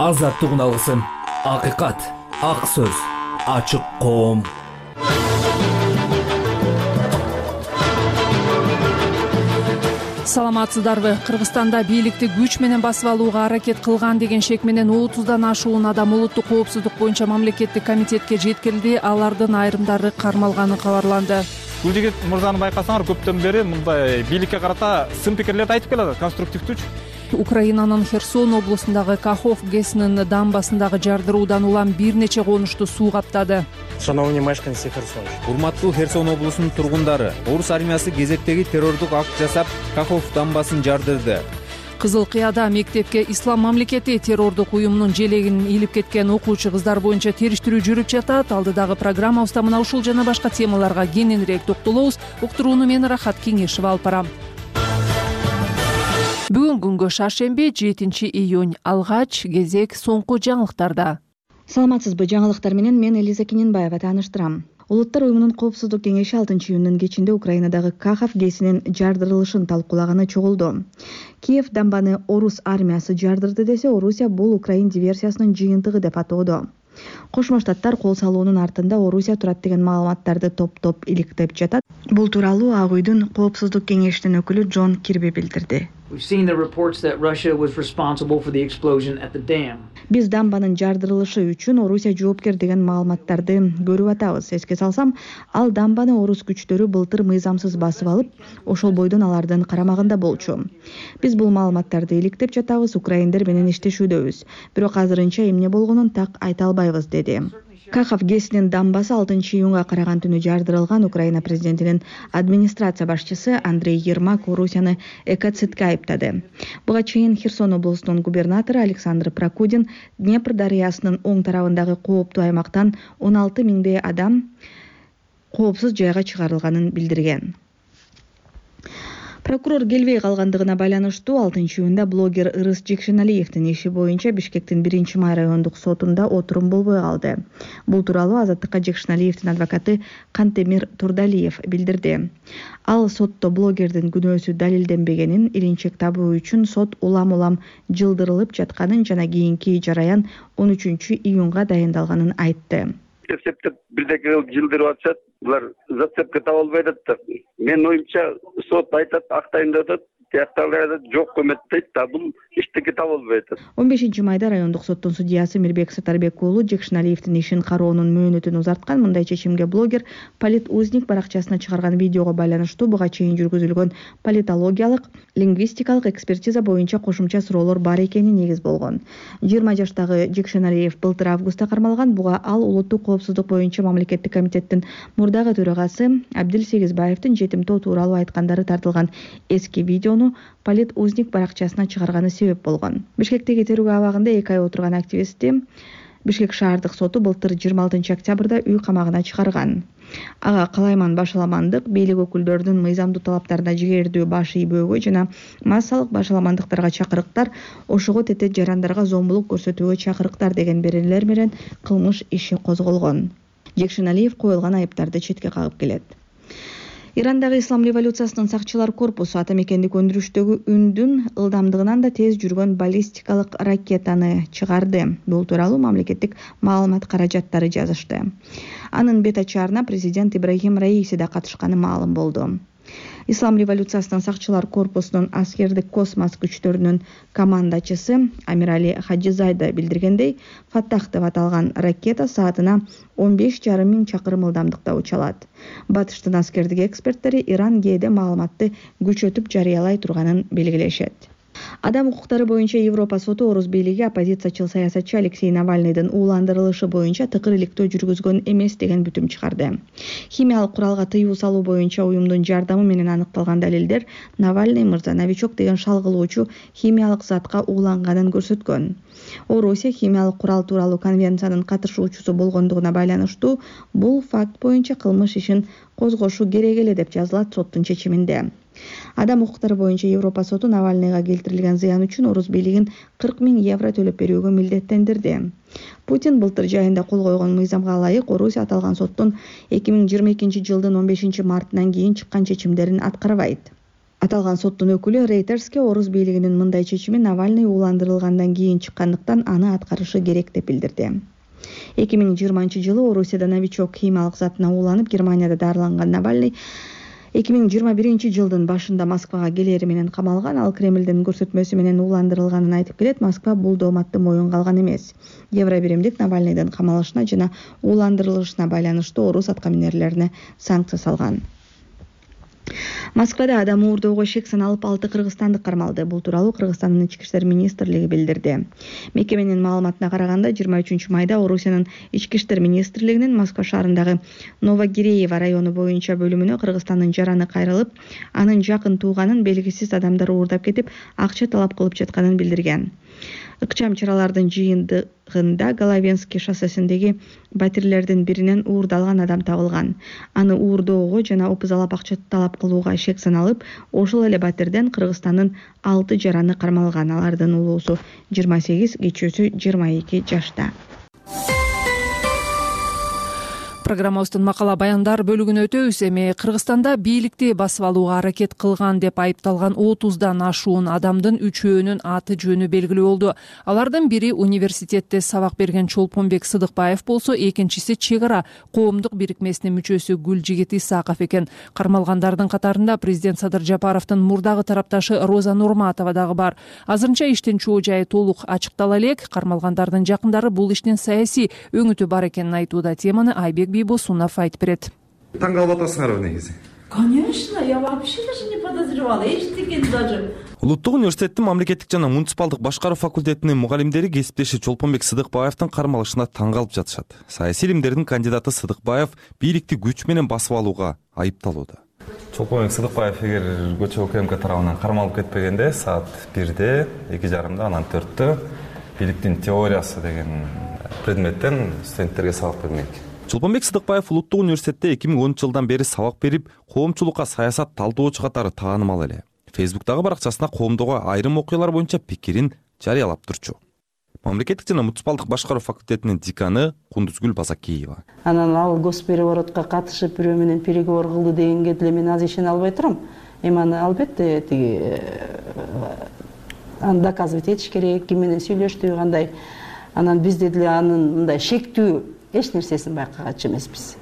азаттыгын алгысың. Акыйкат, ак сөз, ачык коом. Саламатсыздарбы? Кыргызстанда бийликти күч менен басып алууга аракет кылган деген шек менен 30дан ашуун адам улуттук коопсуздук боюнча мамлекеттик комитетке жеткирилди. Алардын айрымдары кармалганы кабарланды. Бул жигит мырзаны байкасаңар, көптөн бери мындай бийликке карата сын пикирлерди айтып келатат, конструктивдүүчү. Украинанын Херсон облусундагы Кахов ГЭСинин дамбасындагы жардыруудан улам бир нече конушту суу каптады. Шановні мешканці Херсон. Урматтуу Херсон облусунун тургундары, орус армиясы кезектеги террордук акт жасап, Кахов дамбасын жардырды. Кызыл Кыяда мектепке Ислам мамлекети террордук уюмунун желегин илип кеткен окуучу кыздар боюнча териштирүү жүрүп жатат. Алдыдагы программабызда мына ушул жана башка темаларга кененирээк токтолобуз. Уктурууну мен Рахат Кеңешева алып барам. Бүгүн күнгө шаршемби 7-июнь. Алгач кезек соңку жаңылыктарда. Саламатсызбы? Жаңылыктар менен мен Элиза Кененбаева тааныштырам. Улуттар уюмунун коопсуздук кеңеши 6-июндун кечинде Украинадагы Кахов ГЭСинин жардырылышын талкуулаганы чогулду. Киев дамбаны орус армиясы жардырды десе, Орусия бул Украин диверсиясынын жыйынтыгы деп атоодо. Кошмо Штаттар кол салуунун артында Орусия турат деген маалыматтарды топтоп иликтеп жатат. Бул тууралуу Ак үйдүн коопсуздук кеңешинин өкүлү Джон Кирби билдирди. Биз дамбанын жардырылышы үчүн Орусия жоопкер деген маалыматтарды көрүп атабыз. Эске салсам, ал дамбаны орус күчтөрү былтыр мыйзамсыз басып алып, ошол бойдон алардын карамагында болчу. Биз бул маалыматтарды иликтеп жатабыз, украиндер менен иштешүүдөбүз. Бирок азырынча эмне болгонун так айта албайбыз, деди. Кахов ГЭСинин дамбасы 6-июнга караган түнү жардырылган. Украина президентинин администрация башчысы Андрей Ермак Орусияны экоцидке айыптады. Буга чейин Херсон облусунун губернатору Александр Прокудин Днепр дарыясынын оң тарабындагы кооптуу аймактан 16 миңдей адам коопсуз жайга чыгарылганын билдирген. Прокурор келбей калгандыгына байланыштуу 6-июнда блогер Ырыс Жекшеналиевдин иши боюнча Бишкектин 1-май райондук сотунда отурум болбой калды. Бул тууралуу Азаттыкка Жекшеналиевдин адвокаты Кантемир Турдалиев билдирди. Ал сотто блогердин күнөөсү далилденбегенин, илинчек табуу үчүн сот улам-улам жылдырылып жатканын жана кийинки жараян 13-июнга дайындалганын айтты. Септеп бирдеке жылдырып атышат, булар зацепка таба албай атат. Мен оюмча сот айтат, актайын деп атат, тияктагылар жок көмөттөйт да, бул иштеки таба албай атат. 15-майда райондук соттун судьясы Мирбек Сатарбек уулу Жекшеналиевдин ишин кароонун мөөнөтүн узарткан. Мындай чечимге блогер Политузник баракчасына чыгарган видеого байланыштуу буга чейин жүргүзүлгөн политологиялык, лингвистикалык экспертиза боюнча кошумча суроолор бар экени негиз болгон. 20 жаштагы Жекшеналиев былтыр августта кармалган. Буга ал улуттук коопсуздук боюнча мамлекеттик комитеттин мурдагы төрагасы Абдил Сегизбаевдин жетимтоо тууралуу айткандары тартылган эски видеону Политузник баракчасына чыгарганы себеп болгон. Бишкектеги терүү абагында 2 ай отурган активистти Бишкек шаардык соту былтыр 26 октябрда үй камагына чыгарган. Ага калайман башаламандык, бийлик өкүлдөрүнүн мыйзамдуу талаптарына жигердүү баш ийбөөгө жана массалык башаламандыктарга чакырыктар, ошого тете жарандарга зомбулук көрсөтүүгө чакырыктар деген беренелер менен кылмыш иши козголгон. Жекшеналиев коюлган айыптарды четке кагып келет. Ирандагы ислам революциясынын сакчылар корпусу ата мекендик өндүрүштөгү үндүн ылдамдыгынан да тез жүргөн баллистикалык ракетаны чыгарды. Бул тууралуу мамлекеттик маалымат каражаттары жазышты. Анын бет ачаарына президент Ибрахим Раиси да катышканы маалым болду. Ислам революциясынын сакчылар корпусунун аскердик космос күчтөрүнүн командачысы Амирали Хаджизайда билдиргендей, Фаттах деп аталган ракета саатына 15,5 миң чакырым ылдамдыкта уча алат. Батыштын аскердик эксперттери Иран кээде маалыматты күчөтүп жарыялай турганын белгилешет. Адам укуктары боюнча Европа соту орус бийлиги оппозициячыл саясатчы Алексей Навальныйдын ууландырылышы боюнча тыкыр иликтөө жүргүзгөн эмес деген бүтүм чыгарды. Химиялык куралга тыюу салуу боюнча уюмдун жардамы менен аныкталган далилдер Навальный мырза новичок деген шалгылоочу химиялык затка ууланганын көрсөткөн. Орусия химиялык курал тууралуу конвенциянын катышуучусу болгондугуна байланыштуу бул факт боюнча кылмыш ишин козгошу керек эле деп жазылат соттун чечиминде. Адам укуктары боюнча Европа соту Навальныйга келтирилген зыян үчүн орус бийлигин 40 миң евро төлөп берүүгө милдеттендирди. Путин былтыр жайында кол койгон мыйзамга ылайык Орусия аталган соттун 2022 жылдын 15 мартынан кийин чыккан чечимдерин аткарбайт. Аталган соттун өкүлү Reuters'ке орус бийлигинин мындай чечими Навальный ууландырылгандан кийин чыккандыктан аны аткарышы керек деп билдирди. 2020-жылы Орусияда новичок химиялык затына ууланып Германияда дарыланган Навальный 2021-жылдын башында Москвага келери менен камалган. Ал Кремлдин көрсөтмөсү менен ууландырылганын айтып келет. Москва бул дооматты моюнга алган эмес. Евробиримдик Навальныйдын камалышына жана ууландырылышына байланыштуу орус аткаминерлерине санкция салган. Москвада адам уурдоого шек саналып 6 кыргызстандык кармалды. Бул тууралуу Кыргызстандын ички иштер министрлиги билдирди. Мекеменин маалыматына караганда 23-майда Орусиянын ички иштер министрлигинин Москва шаарындагы Новогиреево району боюнча бөлүмүнө Кыргызстандын жараны кайрылып, анын жакын тууганын белгисиз адамдар уурдап кетип, акча талап кылып жатканын билдирген. Ыкчам чаралардын жыйынтыгында Головенский шоссесиндеги батирлердин биринен уурдалган адам табылган. Аны уурдоого жана опузалап акча талап кылууга шек саналып, ошол эле батирден Кыргызстандын 6 жараны кармалган. Алардын улуусу 28, кичүүсү 22 жашта. Программабыздын макала баяндар бөлүгүнө өтөбүз. Эми Кыргызстанда бийликти басып алууга аракет кылган деп айыпталган 30дан ашуун адамдын 3-өөнүн аты жөнү белгилүү болду. Алардын бири университетте сабак берген Чолпонбек Сыдыкбаев болсо, экинчиси чек ара коомдук бирикмесинин мүчөсү Гүлжигит Исаков экен. Кармалгандардын катарында президент Садыр Жапаровдун мурдагы тарапташы Роза Нурматова дагы бар. Азырынча иштин чоо жайы толук ачыктала элек. Кармалгандардын жакындары бул иштин саясий өңүтү бар экенин айтууда. Теманы Айбек Босунов айтып берет. Таң калып атасыңарбы негизи? Конечно, я вообще даже не подозревала. Эчтекен даже. Улуттук университеттин мамлекеттик жана муниципалдык башкаруу факультетинин мугалимдери кесиптеши Чолпонбек Сыдыкбаевдин кармалышына таң калып жатышат. Саясий илимдердин кандидаты Сыдыкбаев бийликти күч менен басып алууга айыпталууда. Чолпонбек Сыдыкбаев эгер көчө УКМК тарабынан кармалып кетпегенде саат 1-де, 2:30-да, анан 4-тө бийликтин теориясы деген предметтен студенттерге сабак бермек. Чолпонбек Сыдыкбаев Улуттук университетте 2010-жылдан бери сабак берип, коомчулукка саясат талдоочу катары таанымал эле. Фейсбуктагы баракчасына коомдогу айрым окуялар боюнча пикирин жарыялап турчу. Мамлекеттик жана муниципалдык башкаруу факультетинин деканы Кундузгүл Базакиева. Анан ал госпереворотко катышып бирөө менен переговор кылды дегенге деле мен азыр ишене албай турам. Эми аны албетте аны доказывать этиш керек, ким менен сүйлөштү, кандай. Анан бизде деле анын мындай шектүү эч нерсесин байкагачы эмеспиз.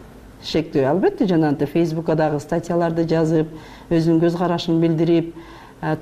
Шектүү албетте жанагынтип Фейсбукка дагы статьяларды жазып, өзүнүн көз карашын билдирип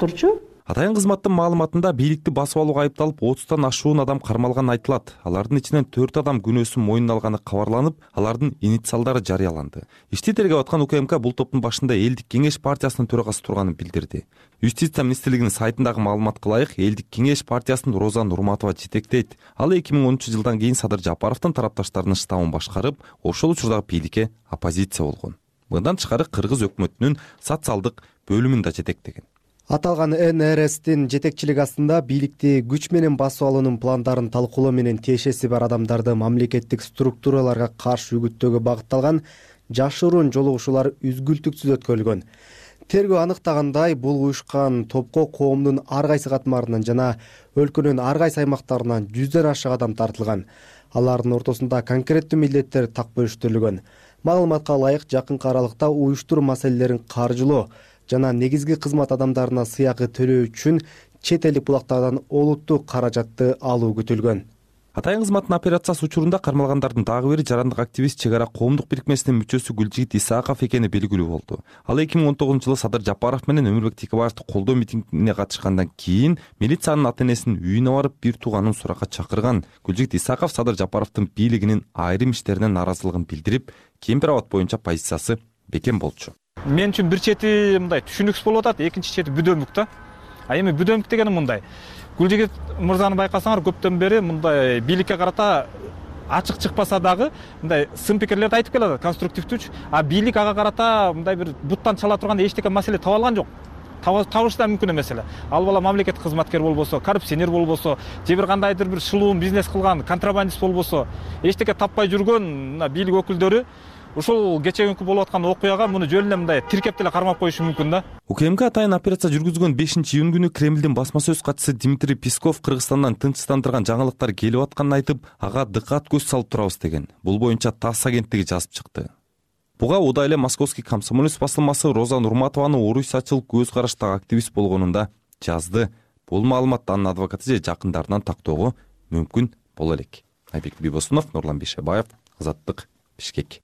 турчу. Атайын кызматтын маалыматында бийликти басып алууга айыпталып 30тан ашуун адам кармалганы айтылат. Алардын ичинен 4 адам күнөөсүн мойнуна алганы кабарланып, алардын инициалдары жарыяланды. Ишти тергеп аткан УКМК бул топтун башында Элдик кеңеш партиясынын төрагасы турганын билдирди. Юстиция министрлигинин сайтындагы маалыматка ылайык, Элдик кеңеш партиясын Роза Нурматова жетектейт. Ал 2010-жылдан кийин Садыр Жапаровдун тарапташтарынын штабын башкарып, ошол учурдагы бийликке оппозиция болгон. Мындан тышкары Кыргыз өкмөтүнүн социалдык бөлүмүн да жетектеген. Аталган НРСтин жетекчилиги астында бийликти күч менен басып алуунун пландарын талкуулоо менен тиешеси бар адамдарды мамлекеттик структураларга каршы үгүттөөгө багытталган жашыруун жолугушуулар үзгүлтүксүз өткөрүлгөн. Тергөө аныктагандай, бул уюшкан топко коомдун ар кайсы катмарынан жана өлкөнүн ар кайсы аймактарынан 100ден ашык адам тартылган. Алардын ортосунда конкреттүү милдеттер так бөлүштүрүлгөн. Маалыматка ылайык, жакынкы аралыкта уюштуруу маселелерин каржылоо жана негизги кызмат адамдарына сыйакы төлөө үчүн чет элдик булактардан олуттуу каражатты алуу күтүлгөн. Атайын кызматтын операциясы учурунда кармалгандардын дагы бири жарандык активист чек ара коомдук бирикмесинин мүчөсү Гүлжигит Исаков экени белгилүү болду. Ал 2019-жылы Садыр Жапаров менен Өмүрбек Текебаевди колдоо митингине катышкандан кийин милициянын ата-энесинин үйүнө барып бир тууганын суракка чакырган. Гүлжигит Исаков Садыр Жапаровдун бийлигинин айрым иштерине нааразылыгын билдирип, кемпир абад боюнча позициясы бекем болчу. Мен үчүн бир чети мындай түшүнүксүз болуп атат, экинчи чети бүдөмүк да. Эми бүдөмүк дегени мындай. Гүлжигит мырзаны байкасаңар, көптөн бери мындай бийликке карата ачык чыкпаса дагы мындай сын пикирлерди айтып келатат, конструктивдүүчү. А бийлик ага карата мындай бир буттан чала турганда эчтеке маселе таба алган жок. Табышы да мүмкүн эмес эле. Ал бала мамлекеттик кызматкер болбосо, коррупционер болбосо, же бир кандайдыр бир шылуун бизнес кылган контрабандист болбосо, эчтеке таппай жүргөн бийлик өкүлдөрү ушул кечеги болуп аткан окуяга муну жөн эле мындай тиркеп деле кармап коюшу мүмкүн да. УКМК атайын операция жүргүзгөн 5-июнь күнү Кремлдин басма сөз катчысы Дмитрий Песков Кыргызстандан тынчтандырган жаңылыктар келип атканын айтып, ага дыкат көз салып турабыз деген. Бул боюнча ТАСС агенттиги жазып чыкты. Буга удай эле Московский комсомолец басылмасы Роза Нурматованын орусячыл көз караштагы активист болгонун да жазды. Бул маалыматты анын адвокаты же жакындарынан тактоого мүмкүн боло элек. Айбек Бибосунов, Нурлан Бишебаев, Азаттык, Бишкек.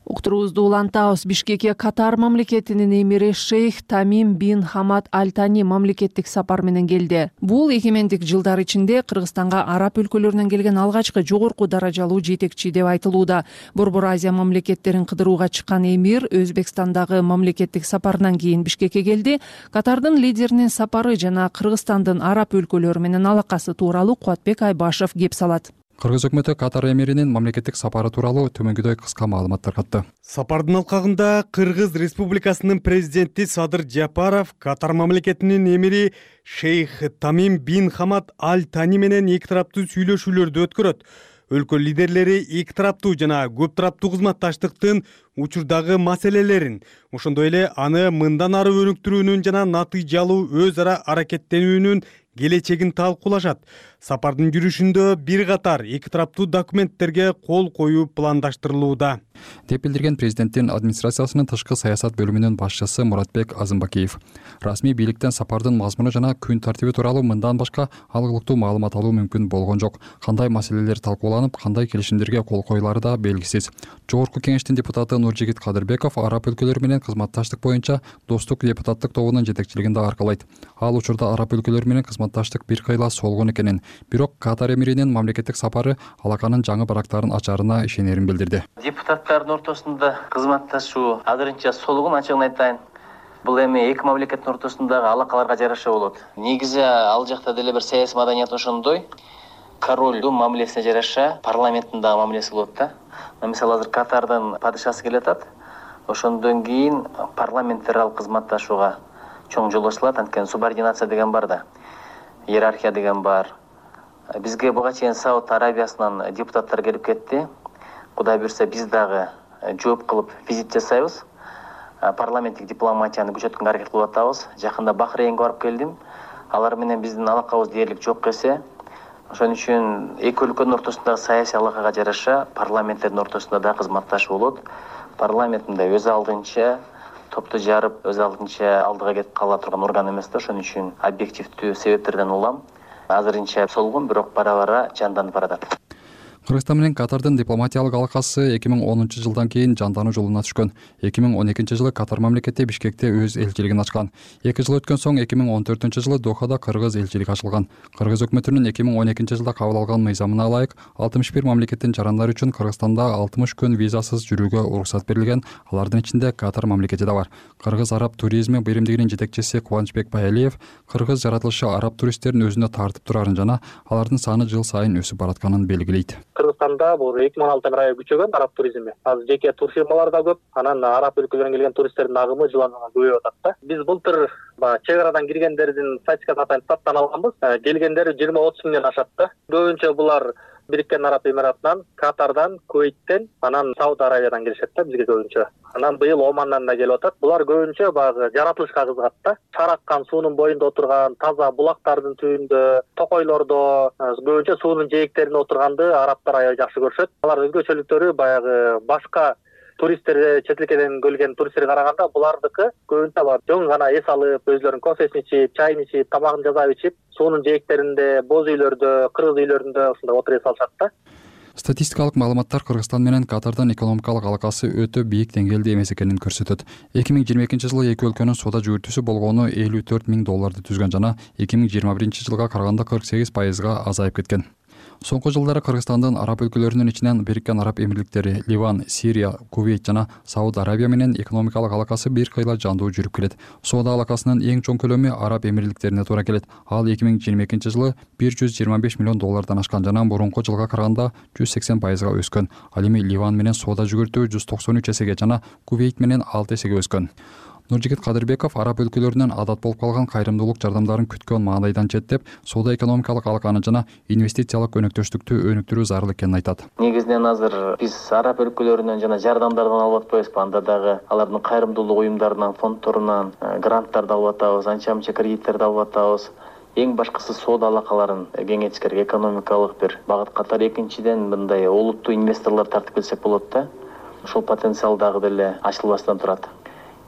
Уктуруубузду улантабыз. Бишкекке Катар мамлекетинин эмири Шейх Тамим бин Хамад Аль Тани мамлекеттик сапар менен келди. Бул эгемендик жылдар ичинде Кыргызстанга араб өлкөлөрүнөн келген алгачкы жогорку даражалуу жетекчи деп айтылууда. Борбор Азия мамлекеттерин кыдырууга чыккан эмир Өзбекстандагы мамлекеттик сапарынан кийин Бишкекке келди. Катардын лидеринин сапары жана Кыргызстандын араб өлкөлөрү менен алакасы тууралуу Кубатбек Айбашев кеп салат. Кыргыз өкмөтү Катар эмиринин мамлекеттик сапары тууралуу төмөндөгүдөй кыска маалымат таркатты. Сапардын алкагында Кыргыз Республикасынын президенти Садыр Жапаров Катар мамлекетинин эмири Шейх Тамим бин Хамад Аль Тани менен эки тараптуу сүйлөшүүлөрдү өткөрөт. Өлкө лидерлери эки тараптуу жана көп тараптуу кызматташтыктын учурдагы маселелерин, ошондой эле аны мындан ары өнүктүрүүнүн жана натыйжалуу өз ара аракеттенүүнүн келечегин талкуулашат. Сапардын жүрүшүндө бир катар эки тараптуу документтерге кол коюу пландаштырылууда, деп билдирген президенттин администрациясынын тышкы саясат бөлүмүнүн башчысы Муратбек Азымбакиев. Расмий бийликтен сапардын мазмуну жана күн тартиби тууралуу мындан башка алгылыктуу маалымат алуу мүмкүн болгон жок. Кандай маселелер талкууланып, кандай келишимдерге кол коюлары да белгисиз. Жогорку кеңештин депутаты Нуржигит Кадырбеков араб өлкөлөрү менен кызматташтык боюнча достук депутаттык тобунун жетекчилигин да аркалайт. Ал учурда араб өлкөлөрү менен кызматташтык бир кыйла солгон экенин, бирок Катар эмиринин мамлекеттик сапары алаканын жаңы барактарын ачаарына ишенерин билдирди. Депутаттардын ортосунда кызматташуу азырынча солгон, ачыгын айтайын. Бул эми эки мамлекеттин ортосундагы алакаларга жараша болот. Негизи ал жакта деле бир саясий маданият ошондой. Королдун мамилесине жараша парламенттин дагы мамилеси болот да. Мисалы азыр Катардын падышасы келатат. Ошондон кийин парламенттерал кызматташууга чоң жол ачылат. Анткени субординация деген бар да. Иерархия деген бар. Бизге буга чейин Сауд Арабиясынан депутаттар келип кетти. Кудай буйрса биз дагы жооп кылып визит жасайбыз. Парламенттик дипломатияны күчөткөнгө аракет кылып атабыз. Жакында Бахрейнге барып келдим. Алар менен биздин алакабыз дээрлик жок эсе. Ошон үчүн эки өлкөнүн ортосундагы саясий алакага жараша парламенттердин ортосунда да кызматташуу болот. Парламенттинде өз алдынча топту жарып, өз алдынча алдыга кетип кала турган орган эмес да. Ошон үчүн объективдүү себептерден улам азырынча солгон, бирок бара-бара жанданып баратат. Кыргызстан менен Катардын дипломатиялык алакасы 2010 жылдан кийин жандануу жолуна түшкөн. 2012 жылы Катар мамлекети Бишкекте өз элчилигин ачкан. 2 жыл өткөн соң 2014 жылы Дохада Кыргыз элчилиги ачылган. Кыргыз өкмөтүнүн 2012 жылда кабыл алган мыйзамына ылайык 61 мамлекеттин жарандары үчүн Кыргызстанда 60 күн визасыз жүрүүгө уруксат берилген. Алардын ичинде Катар мамлекети да бар. Кыргыз араб туризми биримдигинин жетекчиси Кубанычбек Байалиев кыргыз жаратылышы араб туристтерин өзүнө тартып турарын жана алардын саны жыл сайын өсүп баратканын белгилейт. Кыргызстанда бул 2016 айы күчөгөн араб туризми. Азыр жеке турфирмалар да көп. Анан араб өлкөлөрүнөн келген туристтердин агымы жылдан жылга көбөйүп атат да. Биз былтыр чек арадан киргендердин статистикасын атайын таптан алганбыз. Келгендер 20-30 миңден ашат да. Көбүнчө булар Бириккен Араб Эмиратынан, Катардан, Кувейттен, анан Сауд Арабиядан келишет да бизге көбүнчө. Анан быйыл Омандан да келип атат. Булар көбүнчө баягы жаратылышка кызыгат да. Чараккан суунун боюнда отурган, таза булактардын түбүндө, токойлордо, көбүнчө суунун жээктеринде отурганды арабтар аябай жакшы көрүшөт. Алар өзгөчөлүктөрү баягы башка туристтер, чет элден келген туристтерге караганда булардыкы көбүнчө бар жоң гана эс алып, өзлөрүнүн кофесин ичип, чайын ичип, тамагын жасап ичип, суунун жээктеринде, боз үйлөрдө, кыргыз үйлөрүндө ушундай отуруп эс алышат да. Статистикалык маалыматтар Кыргызстан менен Катардын экономикалык алакасы өтө бийик деңгээлде эмес экенин көрсөтөт. 2022 жылы эки өлкөнүн соода жүгүртүүсү болгону $54 миң түзгөн жана 2021 жылга караганда 48% азайып кеткен. Соңку жылдары Кыргызстандын араб өлкөлөрүнүн ичинен Бириккен Араб Эмирликтери, Ливан, Сирия, Кувейт жана Сауд Арабия менен экономикалык алакасы бир кыйла жандуу жүрүп келет. Соода алакасынын эң чоң көлөмү Араб Эмирликтерине туура келет. Ал 2022 жылы $125 миллион ашкан жана мурунку жылга караганда 180% өскөн. Ал эми Ливан менен соода жүгүртүү 193 эсеге жана Кувейт менен 6 эсеге өскөн. Нуржигит Кадырбеков араб өлкөлөрүнөн адат болуп калган кайрымдуулук жардамдарын күткөн маанайдан четтеп, соода экономикалык алаканы жана инвестициялык өнөктөштүктү өнүктүрүү зарыл экенин айтат. Негизинен азыр биз араб өлкөлөрүнөн жана жардамдардан алып атпайбызбы, анда дагы алардын кайрымдуулук уюмдарынан, фондторунан гранттарды алып атабыз, анча-мынча кредиттерди алып атабыз. эң башкысы соода алакаларын кеңейтиш керек, экономикалык бир багыт катары. Экинчиден мындай олуттуу инвесторлор тартып келсек болот да. Ошол потенциал дагы деле ачылбастан турат.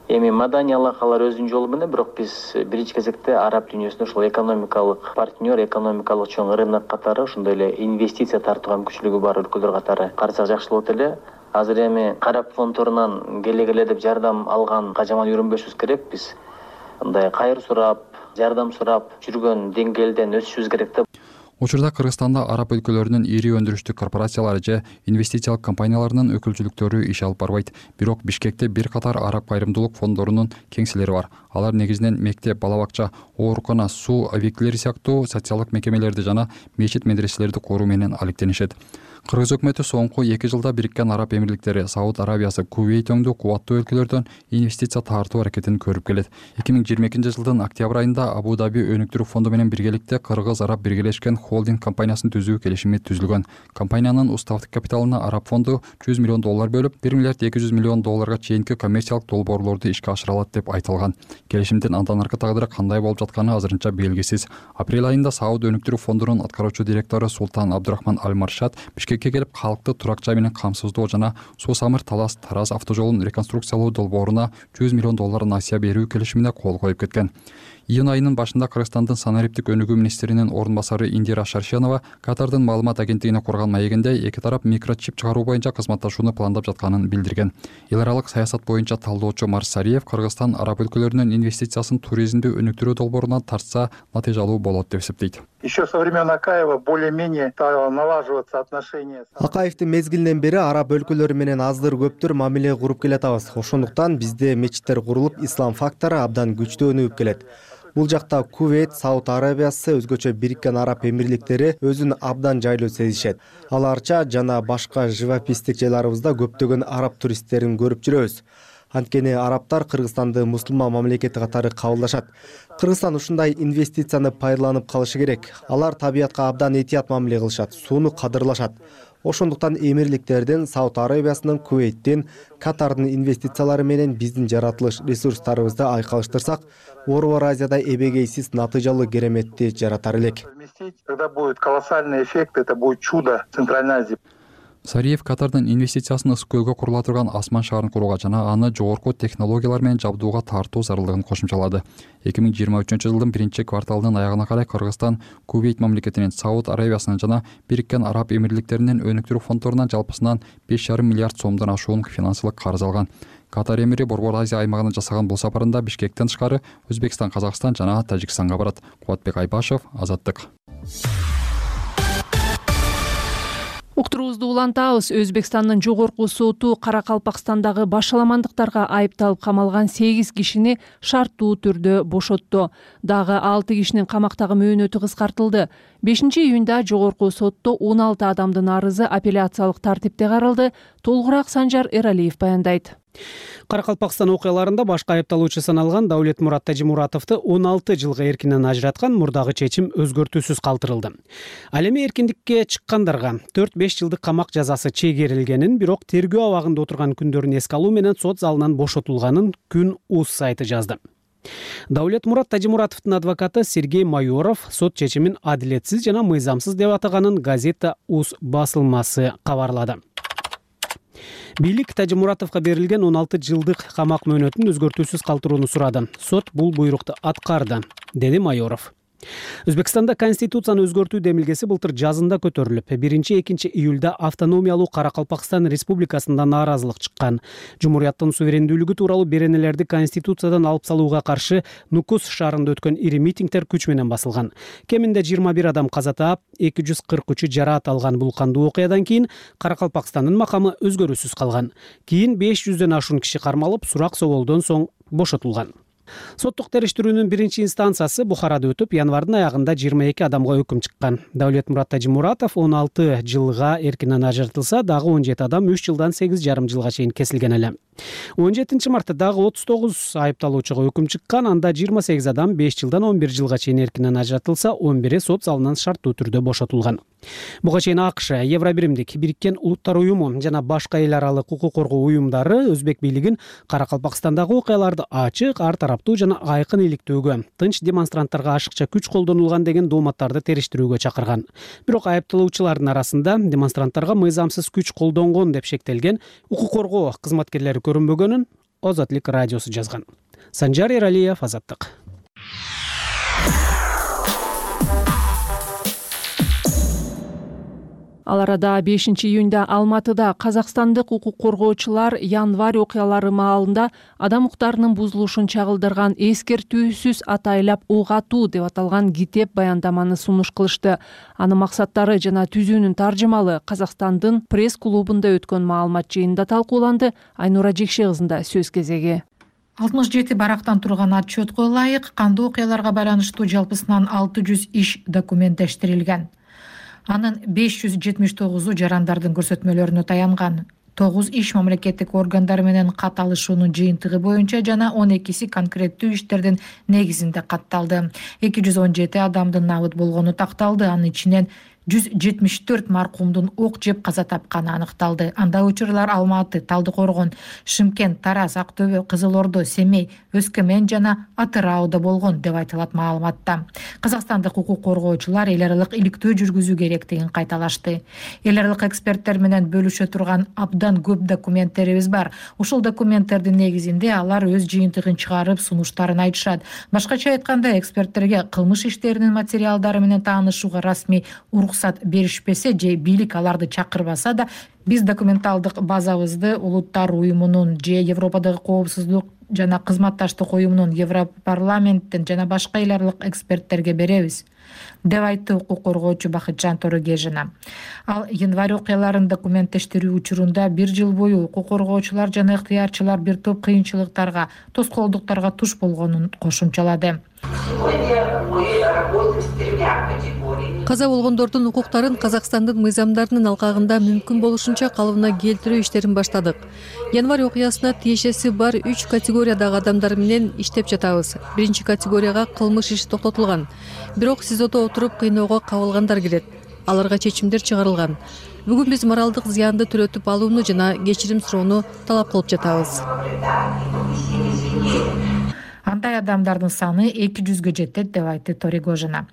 Эми маданий алакалар өзүнүн жолу менен, бирок биз биринчи кезекте араб дүйнөсүндө ошол экономикалык партнер, экономикалык чоң рынок катары, ошондой эле инвестиция тартууга мүмкүнчүлүгү бар өлкөлөр катары карасак жакшы болот эле. Азыр эми карап фонддорунан келе деп жардам алганга жаман үйрөнбөшүбүз керек. Биз мындай кайыр сурап, жардам сурап жүргөн деңгээлден өсүшүбүз керек да. Учурда Кыргызстанда араб өлкөлөрүнүн ири өндүрүштүк корпорациялары же инвестициялык компанияларынын өкүлчүлүктөрү иш алып барбайт. Бирок Бишкекте бир катар араб кайрымдуулук фонддорунун кеңселери бар. Алар негизинен мектеп, бала бакча, оорукана, суу объектилери сыяктуу социалдык мекемелерди жана мечит медреселерди коруу менен алектенишет. Кыргыз өкмөтү соңку 2 жылда Бириккен Араб Эмирликтери, Сауд Арабиясы, Кувейт өңдүү кубаттуу өлкөлөрдөн инвестиция тартуу аракетин көрүп келет. 2022-жылдын октябрь айында Абу-Даби өнүктүрүү фонду менен биргеликте Кыргыз-Араб биргелешкен холдинг компаниясын түзүү келишими түзүлгөн. Компаниянын уставдык капиталына Араб фонду $100 миллион бөлүп, $1 миллиард $200 миллион чейинки коммерциялык долбоорлорду ишке ашыра алат деп айтылган. Келишимдин андан аркы тагдыры кандай болуп жатканы азырынча белгисиз. Апрель айында Сауд өнүктүрүү фондунун аткаруучу директору Султан Абдурахман Аль-Маршад Бишкекке келип, калкты турак жай менен камсыздоо жана Суу-Самыр Талас-Тараз автожолун реконструкциялоо долбооруна $100 миллион насыя берүү келишимине кол коюп кеткен. Июнь айынын башында Кыргызстандын санариптик өнүгүү министринин орун басары Индира Шаршенова Катардын маалымат агенттигине курган маегинде эки тарап микрочип чыгаруу боюнча кызматташууну пландап жатканын билдирген. Эл аралык саясат боюнча талдоочу Марс Сариев Кыргызстан араб өлкөлөрүнүн инвестициясын туризмди өнүктүрүү долбоорунан тартса натыйжалуу болот деп эсептейт. Еще со времен Акаева более-менее стало налаживаться отношения. Акаевдин мезгилинен бери араб өлкөлөрү менен аздыр көптүр мамиле куруп келатабыз. Ошондуктан бизде мечиттер курулуп, ислам фактору абдан күчтүү өнүгүп келет. Бул жакта Кувейт, Сауд Арабиясы, өзгөчө Бириккен Араб Эмирликтери өзүн абдан жайлуу сезишет. Аларча жана башка живописдик жайларыбызда көптөгөн араб туристтерин көрүп жүрөбүз. Анткени арабтар Кыргызстанды мусулман мамлекети катары кабылдашат. Кыргызстан ушундай инвестицияны пайдаланып калышы керек. Алар табиятка абдан этият мамиле кылышат, сууну кадырлашат. Ошондуктан эмирликтердин, Сауд Арабиясынын, Кувейттин, Катардын инвестициялары менен биздин жаратылыш ресурстарыбызды айкалыштырсак, Орбор Азияда эбегейсиз натыйжалуу кереметти жаратар элек. Тогда будет колоссальный эффект, это будет чудо Центральной Азии. Сариев Катардын инвестициясын ысык көлгө курула турган асман шаарын курууга жана аны жогорку технологиялар менен жабдууга тартуу зарылдыгын кошумчалады. 2023-жылдын 1-кварталынын аягына карай Кыргызстан Кувейт мамлекетинин, Сауд Арабиясынын жана Бириккен Араб Эмирликтеринин өнүктүрүү фонддорунан жалпысынан $5,5 миллиард сомдон ашуун финансылык карыз алган. Катар эмири Борбор Азия аймагына жасаган бул сапарында Бишкектен тышкары Өзбекстан, Казакстан жана Тажикстанга барат. Кубатбек Айбашев, Азаттык. Уктуруубузду улантабыз. Өзбекстандын жогорку соту Каракалпакстандагы башаламандыктарга айыпталып камалган 8 кишини шарттуу түрдө бошотту. Дагы 6 кишинин камактагы мөөнөтү кыскартылды. 5-июнда жогорку сотто 16 адамдын арызы апелляциялык тартипте каралды. Толугураак Санжар Эралиев баяндайт. Каракалпакстан окуяларында башкы айыпталуучу саналган Давлетмурат Тажимуратовду 16 жылга эркинен ажыраткан мурдагы чечим өзгөртүүсүз калтырылды. Ал эми эркиндикке чыккандарга 4-5 жылдык камак жазасы чегерилгенин, бирок тергөө абагында отурган күндөрүн эске алуу менен сот залынан бошотулганын Күн.уз сайты жазды. Давлетмурат Тажимуратовдун адвокаты Сергей Майоров сот чечимин адилетсиз жана мыйзамсыз деп атаганын Газета.уз басылмасы кабарлады. Бийлик Тажимуратовго берилген 16 жылдык камак мөөнөтүн өзгөртүүсүз калтырууну сурады. Сот бул буйрукту аткарды, деди Майоров. Өзбекстанда конституцияны өзгөртүү демилгеси былтыр жазында көтөрүлүп, 1-2 июлда автономиялуу Каракалпакстан республикасында нааразылык чыккан. Жумурияттын суверендүүлүгү тууралуу беренелерди конституциядан алып салууга каршы Нукус шаарында өткөн ири митингдер күч менен басылган. Кеминде 21 адам каза таап, 243 жараат алган бул кандуу окуядан кийин Каракалпакстандын макамы өзгөрүүсүз калган. Кийин 500дөн ашуун киши кармалып, сурак соолдон соң бошотулган. Соттук териштирүүнүн 1-инстанциясы Бухарада өтүп, январдын аягында 22 адамга өкүм чыккан. Давлетмурат Тажимуратов 16 жылга эркинен ажыратылса, дагы 17 адам 3 жылдан 8,5 жылга чейин кесилген эле. 17 мартта дагы 39 айыпталуучуга өкүм чыккан. Анда 28 адам 5 жылдан 11 жылга чейин эркинен ажыратылса, 11 сот залынан шарттуу түрдө бошотулган. Буга чейин АКШ, Евробиримдик, Бириккен Улуттар уюму жана башка эл аралык укук коргоо уюмдары Өзбек бийлигин Каракалпакстандагы окуяларды ачык, ар тараптуу жана айкын иликтөөгө, тынч демонстранттарга ашыкча күч колдонулган деген дооматтарды териштирүүгө чакырган. Бирок айыпталуучулардын арасында демонстранттарга мыйзамсыз күч колдонгон деп шектелген укук коргоо кызматкерлери көрүнбөгөнүн Озатлык радиосу жазган. Санжар Эралиев, Азаттык. Ал арада 5 июнда Алматыда казакстандык укук коргоочулар январь окуялары маалында адам укуктарынын бузулушун чагылдырган эскертүүсүз атайлап угатуу деп аталган китеп баяндаманы сунуш кылышты. Анын максаттары жана түзүүнүн таржымалы Казакстандын пресс-клубунда өткөн маалымат жыйынында талкууланды. Айнура Жекше кызында сөз кезеги. 67 барактан турган отчетко ылайык кандуу окуяларга байланыштуу жалпысынан 600 иш документтештирилген. Анын 579-у жарандардын көрсөтмөлөрүнө таянган. 9 иш мамлекеттик органдар менен кат алышуунун жыйынтыгы боюнча жана 12 конкреттүү иштердин негизинде катталды. 217 адамдын набыт болгону такталды. Анын ичинен 174 маркумдун ок жеп каза тапканы аныкталды. Анда учурлар Алматы, Талдыкоргон, Шымкент, Тараз, Актөбө, Кызыл Ордо, Семей, Өскөмен жана Атырауда болгон деп айтылат маалыматта. Казакстандык укук коргоочулар эл аралык иликтөө жүргүзүү керектигин кайталашты. Эл аралык эксперттер менен бөлүшө турган абдан көп документтерибиз бар. Ушул документтердин негизинде алар өз жыйынтыгын чыгарып, сунуштарын айтышат. Башкача айтканда, эксперттерге кылмыш иштеринин материалдары менен таанышууга расмий уруксат беришпесе же бийлик аларды чакырбаса да, биз документалдык базабызды Улуттар уюмунун же Европадагы коопсуздук жана кызматташтык уюмунун, Европарламенттен жана башка эл аралык эксперттерге беребиз, деп айтты укук коргоочу Бакытжан Торогежина. Ал январь окуяларын документтештирүү учурунда 1 жыл бою укук коргоочулар жана ыктыярчылар бир топ кыйынчылыктарга, тоскоолдуктарга туш болгонун кошумчалады. Каза болгондордун укуктарын Казакстандын мыйзамдарынын алкагында мүмкүн болушунча калыбына келтирүү иштерин баштадык. Январь окуясына тиешеси бар 3 категориядагы адамдар менен иштеп жатабыз. Биринчи категорияга кылмыш иши токтотулган. Бирок СИЗОдо отуруп кыйноого кабылгандар кирет. Аларга чечимдер чыгарылган. Бүгүн биз моралдык зыянды төлөтүп алууну жана кечирим суроону талап кылып жатабыз. Андай адамдардын саны 200-гө жетет деп айтты Торигожина.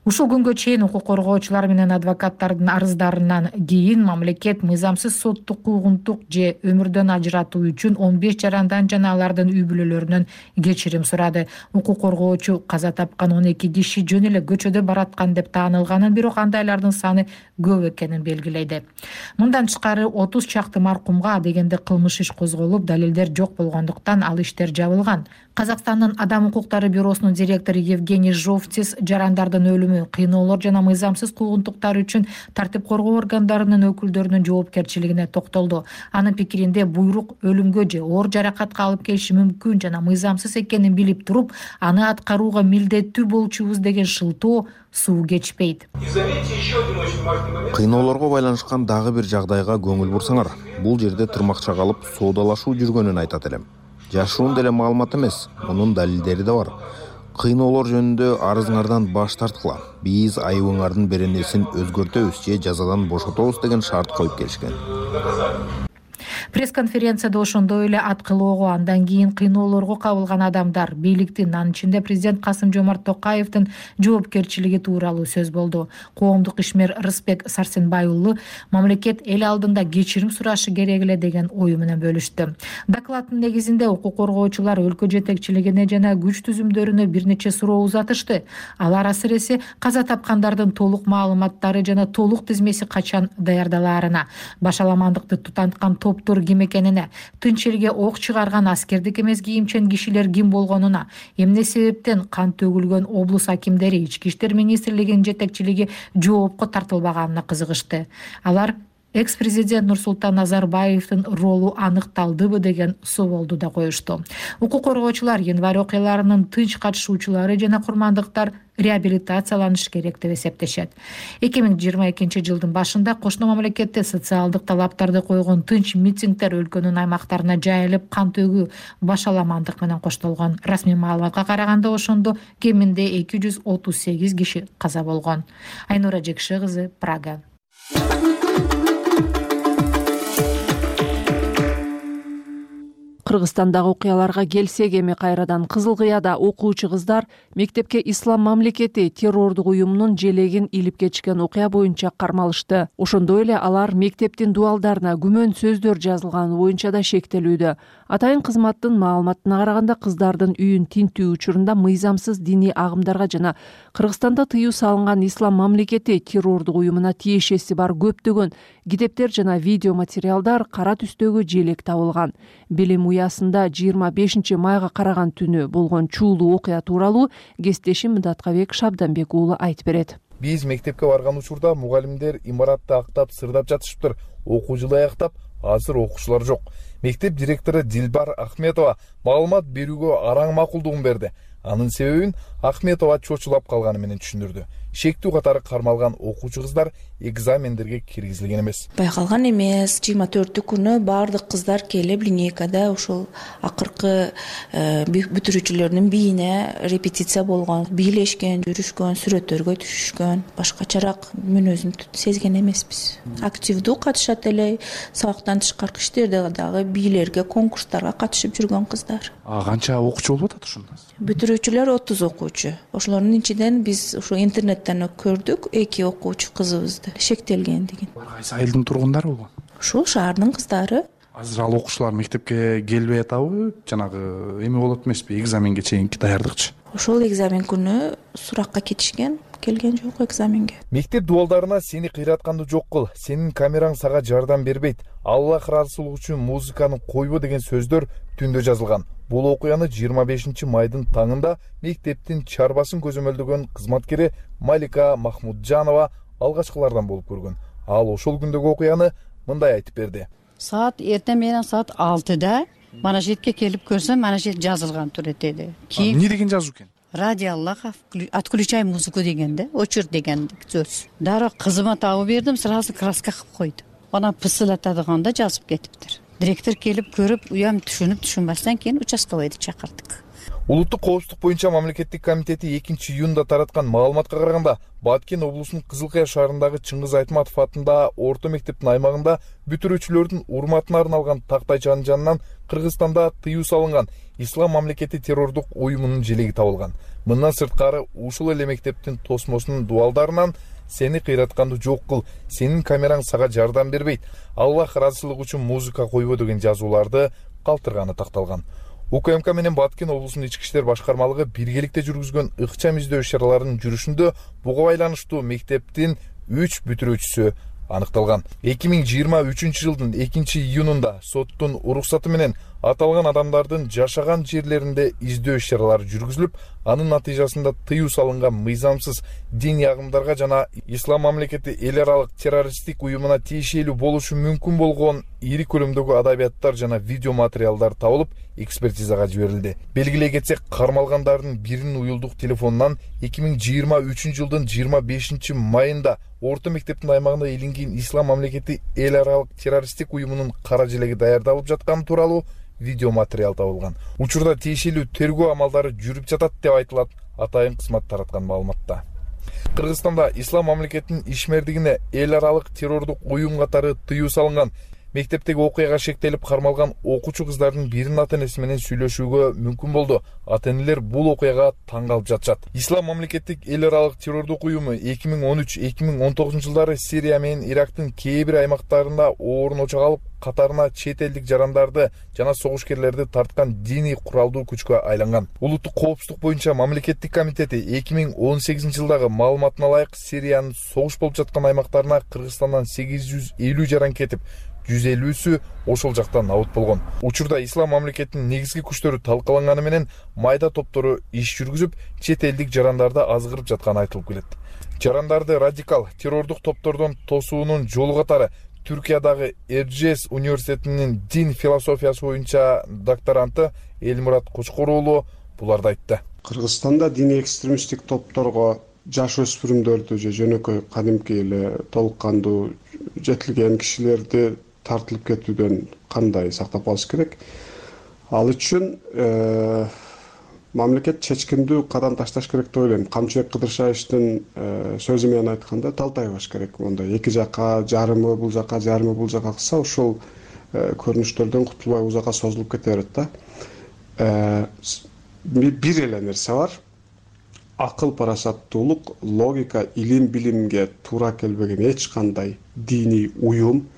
Ушул күнгө чейин укук коргоочулар менен адвокаттардын арыздарынан кийин мамлекет мыйзамсыз соттук куугунтук же өмүрдөн ажыратуу үчүн 15 жарандан жана алардын үй бүлөлөрүнөн кечирим сурады. Укук коргоочу каза тапкан 12 киши жөн эле көчөдө бараткан деп таанылганын, бирок андайлардын саны көп экенин белгилейди. Мындан тышкары 30 чакты маркумга дегенде кылмыш иш козголуп, далилдер жок болгондуктан ал иштер жабылган. Казакстандын Адам укуктары бюросунун директору Евгений Жовтис жарандардын өлүмү, кыйноолор жана мыйзамсыз куугунтуктар үчүн тартип коргоо органдарынын өкүлдөрүнүн жоопкерчилигине токтолду. Анын пикиринде буйрук өлүмгө же оор жаракатка алып келиши мүмкүн жана мыйзамсыз экенин билип туруп, аны аткарууга милдеттүү болчубуз деген шылтоо суу кечпейт. Кыйноолорго байланышкан дагы бир жагдайга көңүл бурсаңар, бул жерде тырмакча калып соодалашуу жүргөнүн айтат элем. Жашуун деле маалымат эмес, мунун далилдери да бар. Кыйноолор жөнүндө арызыңардан баш тарткыла. Биз айыбыңардын беренесин өзгөртөбүз же жазадан бошотобуз деген шарт коюп келишкен. Пресс-конференцияда ошондой эле аткылоого, андан кийин кыйноолорго кабылган адамдар, бийликтин, анын ичинде президент Касым-Жомарт Токаевдин жоопкерчилиги тууралуу сөз болду. Коомдук ишмер Рыспек Сарсенбай уулу мамлекет эл алдында кечирим сурашы керек эле деген ою менен бөлүштү. Докладдын негизинде укук коргоочулар өлкө жетекчилигине жана күч түзүмдөрүнө бир нече суроо узатышты. Алар асыресе каза тапкандардын толук маалыматтары жана толук тизмеси качан даярдалаарына, башаламандыкты тутанткан топтор ким экенине, тынч элге ок чыгарган аскердик эмес кийимчен кишилер ким болгонуна, эмне себептен кан төгүлгөн облус акимдери, Ички иштер министрлигинин жетекчилиги жоопко тартылбаганына кызыгышты. Алар экс президент Нурсултан Назарбаевдин ролу аныкталдыбы деген соолду да коюшту. Укук коргоочулар январь окуяларынын тынч катышуучулары жана курмандыктар реабилитацияланыш керек деп эсептешет. 2022 жылдын башында кошуна мамлекетте социалдык талаптарды койгон тынч митингдер өлкөнүн аймактарына жайылып, кан төгүү, башаламандык менен коштолгон. Расмий маалыматка караганда ошондо кеминде 238 киши каза болгон. Айнура Жекше кызы, Прага. Кыргызстандагы окуяларга келсек, эми кайрадан Кызыл Кыяда окуучу кыздар мектепке Ислам мамлекети террордук уюмунун желегин илип кетишкен окуя боюнча кармалышты. Ошондой эле алар мектептин дуалдарына күмөн сөздөр жазылганы боюнча да шектелүүдө. Атайын кызматтын маалыматына караганда, кыздардын үйүн тинтүү учурунда мыйзамсыз диний агымдарга жана Кыргызстанда тыюу салынган Ислам мамлекети террордук уюмуна тиешеси бар көптөгөн китептер жана видео материалдар кара түстөгү желек табылган. Билим уясында 25 майга караган түнү болгон чуулуу окуя тууралуу кесиптешим Мыдаткабек Шабданбек уулу айтып берет. Биз мектепке барган учурда мугалимдер имаратты актап, сырдап жатышыптыр. Окуу жылы аяктап, азыр окуучулар жок. Мектеп директору Дилбар Ахметова маалымат берүүгө араң макулдугун берди. Анын себебин Ахметова чочулап калганы менен түшүндүрдү. Шектүү катары кармалган окуучу кыздар экзамендерге киргизилген эмес. Байкалган эмес. 24 күнү баардык кыздар келип линейкада ошол акыркы бүтүрүүчүлөрдүн бийине репетиция болгон, бийлешкен, жүрүшкөн, сүрөттөргө түшүшкөн. Башкачараак мүнөзүн сезген эмеспиз. Активдүү катышат эле, сабактан тышкаркы иштерде дагы бийлерге, конкурстарга катышып жүргөн кыздар. Канча окуучу болуп атат ошондо? Бүтүрүүчүлөр 30 окуучу. Ошолордун ичинен биз ошо интернеттен көрдүк 2 окуучу кызыбызды шектелген деген. Кайсы айылдын тургундары болгон? Ушул шаардын кыздары. Азыр ал окуучулар мектепке келбей атабы, жанагы эме болот эмеспи, экзаменге чейинки даярдыкчы? Ошол экзамен күнү суракка кетишкен, келген жок экзаменге. Мектеп дуалдарына сени кыйратканды жок кыл, сенин камераң сага жардам бербейт, Аллах ыраазычылыгы үчүн музыканы койбо деген сөздөр түндө жазылган. Бул окуяны 25 майдын таңында мектептин чарбасын көзөмөлдөгөн кызматкери Малика Махмуджанова алгачкылардан болуп көргөн. Ал ошол күндөгү окуяны мындай айтып берди. Саат эртең менен саат 6-да мана жерге келип көрсөм, мана жер жазылган тур этеди. Эмне деген жазуу экен? Ради Аллаха отключай музыку дегенде, өчүр деген сөз. Дароо кызыма табып бердим, сразу краска кылып койду. Ана пысылатадыганда жазып кетиптир. Директор келип көрүп, уям түшүнбөстөн кийин участковойду чакырдык. Улуттук коопсуздук боюнча мамлекеттик комитети 2-июнда тараткан маалыматка караганда, Баткен облусунун Кызыл Кыя шаарындагы Чыңгыз Айтматов атындагы орто мектептин аймагында бүтүрүүчүлөрдүн урматына арналган тактайчанын жанынан Кыргызстанда тыюу салынган Ислам мамлекети террордук уюмунун желеги табылган. Мындан сырткары ушул эле мектептин тосмосунун дуалдарынан сени кыйратканды жок кыл, сенин камераң сага жардам бербейт, Аллах ыраазычылыгы үчүн музыка койбо деген жазууларды калтырганы такталган. УКМК менен Баткен облусунун ички иштер башкармалыгы биргеликте жүргүзгөн ыкчам издөө иш-чараларынын жүрүшүндө буга байланыштуу мектептин 3 бүтүрүүчүсү аныкталган. 2023 жылдын 2-июнунда соттун уруксаты менен аталган адамдардын жашаган жерлеринде издөө иш-чаралары жүргүзүлүп, анын натыйжасында тыюу салынган мыйзамсыз диний агымдарга жана Ислам мамлекети эл аралык террористтик уюмуна тиешелүү болушу мүмкүн болгон ири көлөмдөгү адабияттар жана видео материалдар табылып, экспертизага жиберилди. Белгилей кетсек, кармалгандардын биринин уюлдук телефонунан 2023 жылдын 25 майында орто мектептин аймагында илинген Ислам мамлекети эл аралык террористтик уюмунун кара желеги даярдалып жатканы тууралуу видео материал табылган. Учурда тиешелүү тергөө амалдары жүрүп жатат деп айтылат атайын кызмат тараткан маалыматта. Кыргызстанда Ислам мамлекетинин ишмердигине эл аралык террордук уюм катары тыюу салынган. Мектептеги окуяга шектелип кармалган окуучу кыздардын биринин ата-энеси менен сүйлөшүүгө мүмкүн болду. Ата-энелер бул окуяга таң калып жатышат. Ислам мамлекеттик эл аралык террордук уюму 2013-2019 жылдары Сирия менен Ирактын кээ бир аймактарында оорун очок алып, катарына чет элдик жарандарды жана согушкерлерди тарткан диний куралдуу күчкө айланган. Улуттук коопсуздук боюнча мамлекеттик комитети 2018 жылдагы маалыматына ылайык Сириянын согуш болуп жаткан аймактарына Кыргызстандан 850 жаран кетип, 150-сү ошол жакта набыт болгон. Учурда Ислам мамлекетинин негизги күчтөрү талкаланганы менен майда топтору иш жүргүзүп, чет элдик жарандарды азгырып жатканы айтылып келет. Жарандарды радикал террордук топтордон тосуунун жолу катары Түркиядагы Эржес университетинин дин философиясы боюнча докторанты Элмурат Кучкор уулу буларды айтты. Кыргызстанда диний экстремисттик топторго жаш өспүрүмдөрдү же жөнөкөй кадимки эле толук кандуу жетилген кишилерди тартылып кетүүдөн кандай сактап калыш керек? Ал үчүн мамлекет чечкиндүү кадам ташташ керек деп ойлойм. Камчыбек Кыдыршаевдин сөзү менен айтканда талтайбаш керек. Мондай эки жака жарымы бул жака кылса ушул көрүнүштөрдөн кутулбай узакка созулуп кете берет да. Бир эле нерсе бар. Акыл, парасаттуулук, логика, илим, билимге туура келбеген эч кандай диний уюм,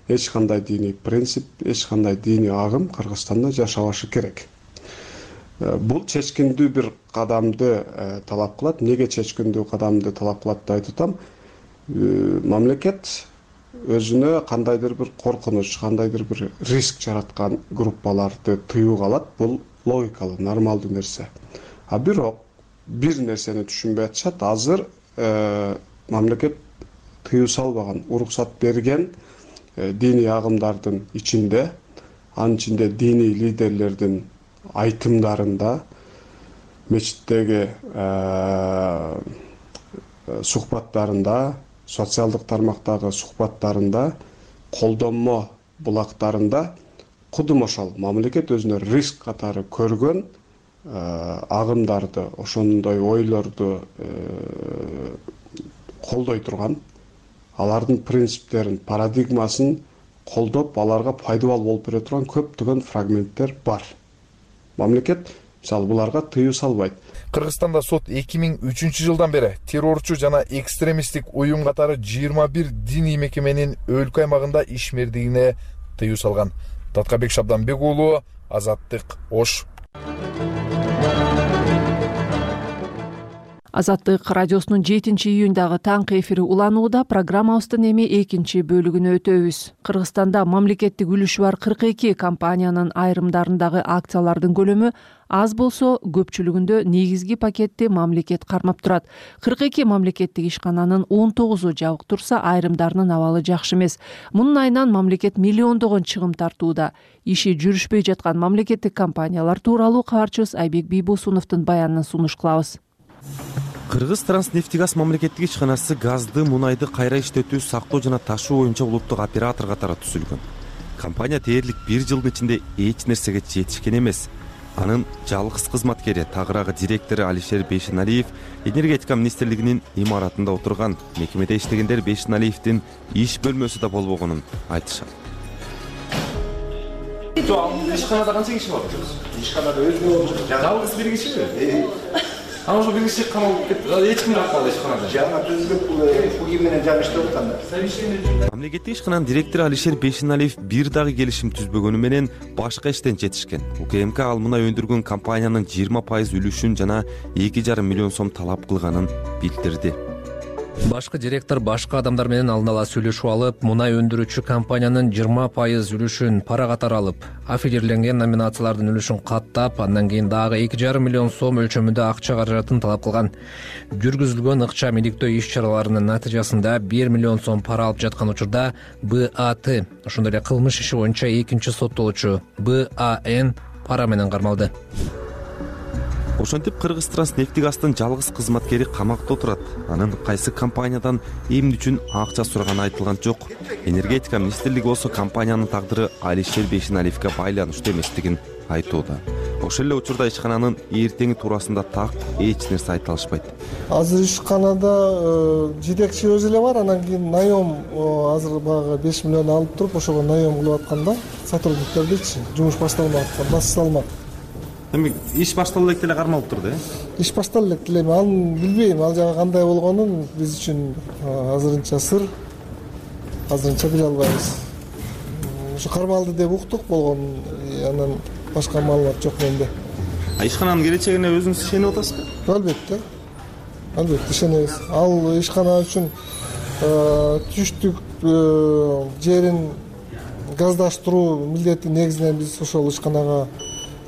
эч кандай диний принцип, эч кандай диний агым Кыргызстанда жашабашы керек. Бул чечкиндүү бир кадамды талап кылат. Неге чечкиндүү кадамды талап кылат деп айтып атам? Мамлекет өзүнө кандайдыр бир коркунуч, кандайдыр бир риск жараткан группаларды тыюуга алат. Бул логикалуу, нормалдуу нерсе. А бирок бир нерсени түшүнбөй атышат. Азыр мамлекет тыюу салбаган, уруксат берген диний агымдардын ичинде, анын ичинде диний лидерлердин айтымдарында, мечиттеги сухбаттарында, социалдык тармактагы сухбаттарында, колдонмо булактарында кудум ошол мамлекет өзүнө риск катары көргөн агымдарды, ошондой ойлорду колдой турган, алардын принциптерин, парадигмасын колдоп, аларга пайдалуу болуп бере турган көптөгөн фрагменттер бар. Мамлекет мисалы буларга тыюу салбайт. Кыргызстанда сот 2003 жылдан бери террорчу жана экстремисттик уюм катары 21 диний мекеменин өлкө аймагында ишмердигине тыюу салган. Таткабек Шабданбек уулу, Азаттык, Ош. Азаттык радиосунун 7-июндагы таңкы эфири уланууда. Программабыздын эми 2 бөлүгүнө өтөбүз. Кыргызстанда мамлекеттик үлүшү бар 42 компаниянын айрымдарындагы акциялардын көлөмү аз болсо, көпчүлүгүндө негизги пакетти мамлекет кармап турат. 42 мамлекеттик ишкананын 19-у жабык турса, айрымдарынын абалы жакшы эмес. Мунун айынан мамлекет миллиондогон чыгым тартууда. Иши жүрүшпөй жаткан мамлекеттик компаниялар тууралуу кабарчыбыз Айбек Бийбосуновдун баянын сунуш кылабыз. Кыргыз Транснефтегаз мамлекеттик ишканасы газды, мунайды кайра иштетүү, сактоо жана ташуу боюнча улуттук оператор катары түзүлгөн. Компания дээрлик 1 жылдын ичинде эч нерсеге жетишкен эмес. Анын жалгыз кызматкери, тагыраагы директору Алишер Бейшеналиев энергетика министрлигинин имаратында отурган. Мекемеде иштегендер Бейшеналиевдин иш бөлмөсү да болбогонун айтышат. Ишканада канча киши бар? Ишканада өзү жалгыз бир кишиби? Ана ошо бир киши камалып кетти. Эч ким калбады ишканада. Жаңы түзүлүп бул менен жаңы иштеп атканда. Мамлекеттик ишкананын директору Алишер Бейшеналиев бир дагы келишим түзбөгөнү менен башка иштен жетишкен. УКМК ал мунай өндүргөн компаниянын 20% үлүшүн жана 2,5 миллион сом талап кылганын билдирди. Башкы директор башка адамдар менен алдын ала сүйлөшүп алып, мунай өндүрүүчү компаниянын 20% үлүшүн пара катары алып, аффилирленген номинациялардын үлүшүн каттап, андан кийин дагы 2,5 миллион сом өлчөмүндө акча каражатын талап кылган. Жүргүзүлгөн ыкчам иликтөө иш-чараларынын натыйжасында 1 миллион сом пара алып жаткан учурда БАТ, ошондой эле кылмыш иши боюнча экинчи соттолуучу БАН пара менен кармалды. Ошентип Кыргыз Транснефтегаздын жалгыз кызматкери камакта отурат. Анын кайсы компаниядан эмне үчүн акча сураганы айтылган жок. Энергетика министрлиги болсо компаниянын тагдыры Алишер Бейшеналиевге байланыштуу эместигин айтууда. Ошол эле учурда ишкананын эртеңи туурасында так эч нерсе айта алышпайт. Азыр ишканада жетекчи өзү эле бар, анан кийин наем азыр баягы 5 миллион алып туруп, ошого наем кылып атканда сотрудниктердичи жумуш башталмак, басып салмак. Эми иш башталып элек деле кармалып турду, Иш башталып элек деле, аны билбейм, ал жагы кандай болгонун биз үчүн азырынча сыр. Азырынча биле албайбыз. Ошо кармалды деп уктук болгон, анан башка маалымат жок менде. Ишкананын келечегине өзүңүз ишенип атасызбы? Албетте. Албетте ишенебиз. Ал ишкана үчүн түштүк жерин газдаштыруу милдети негизинен биз ошол ишканага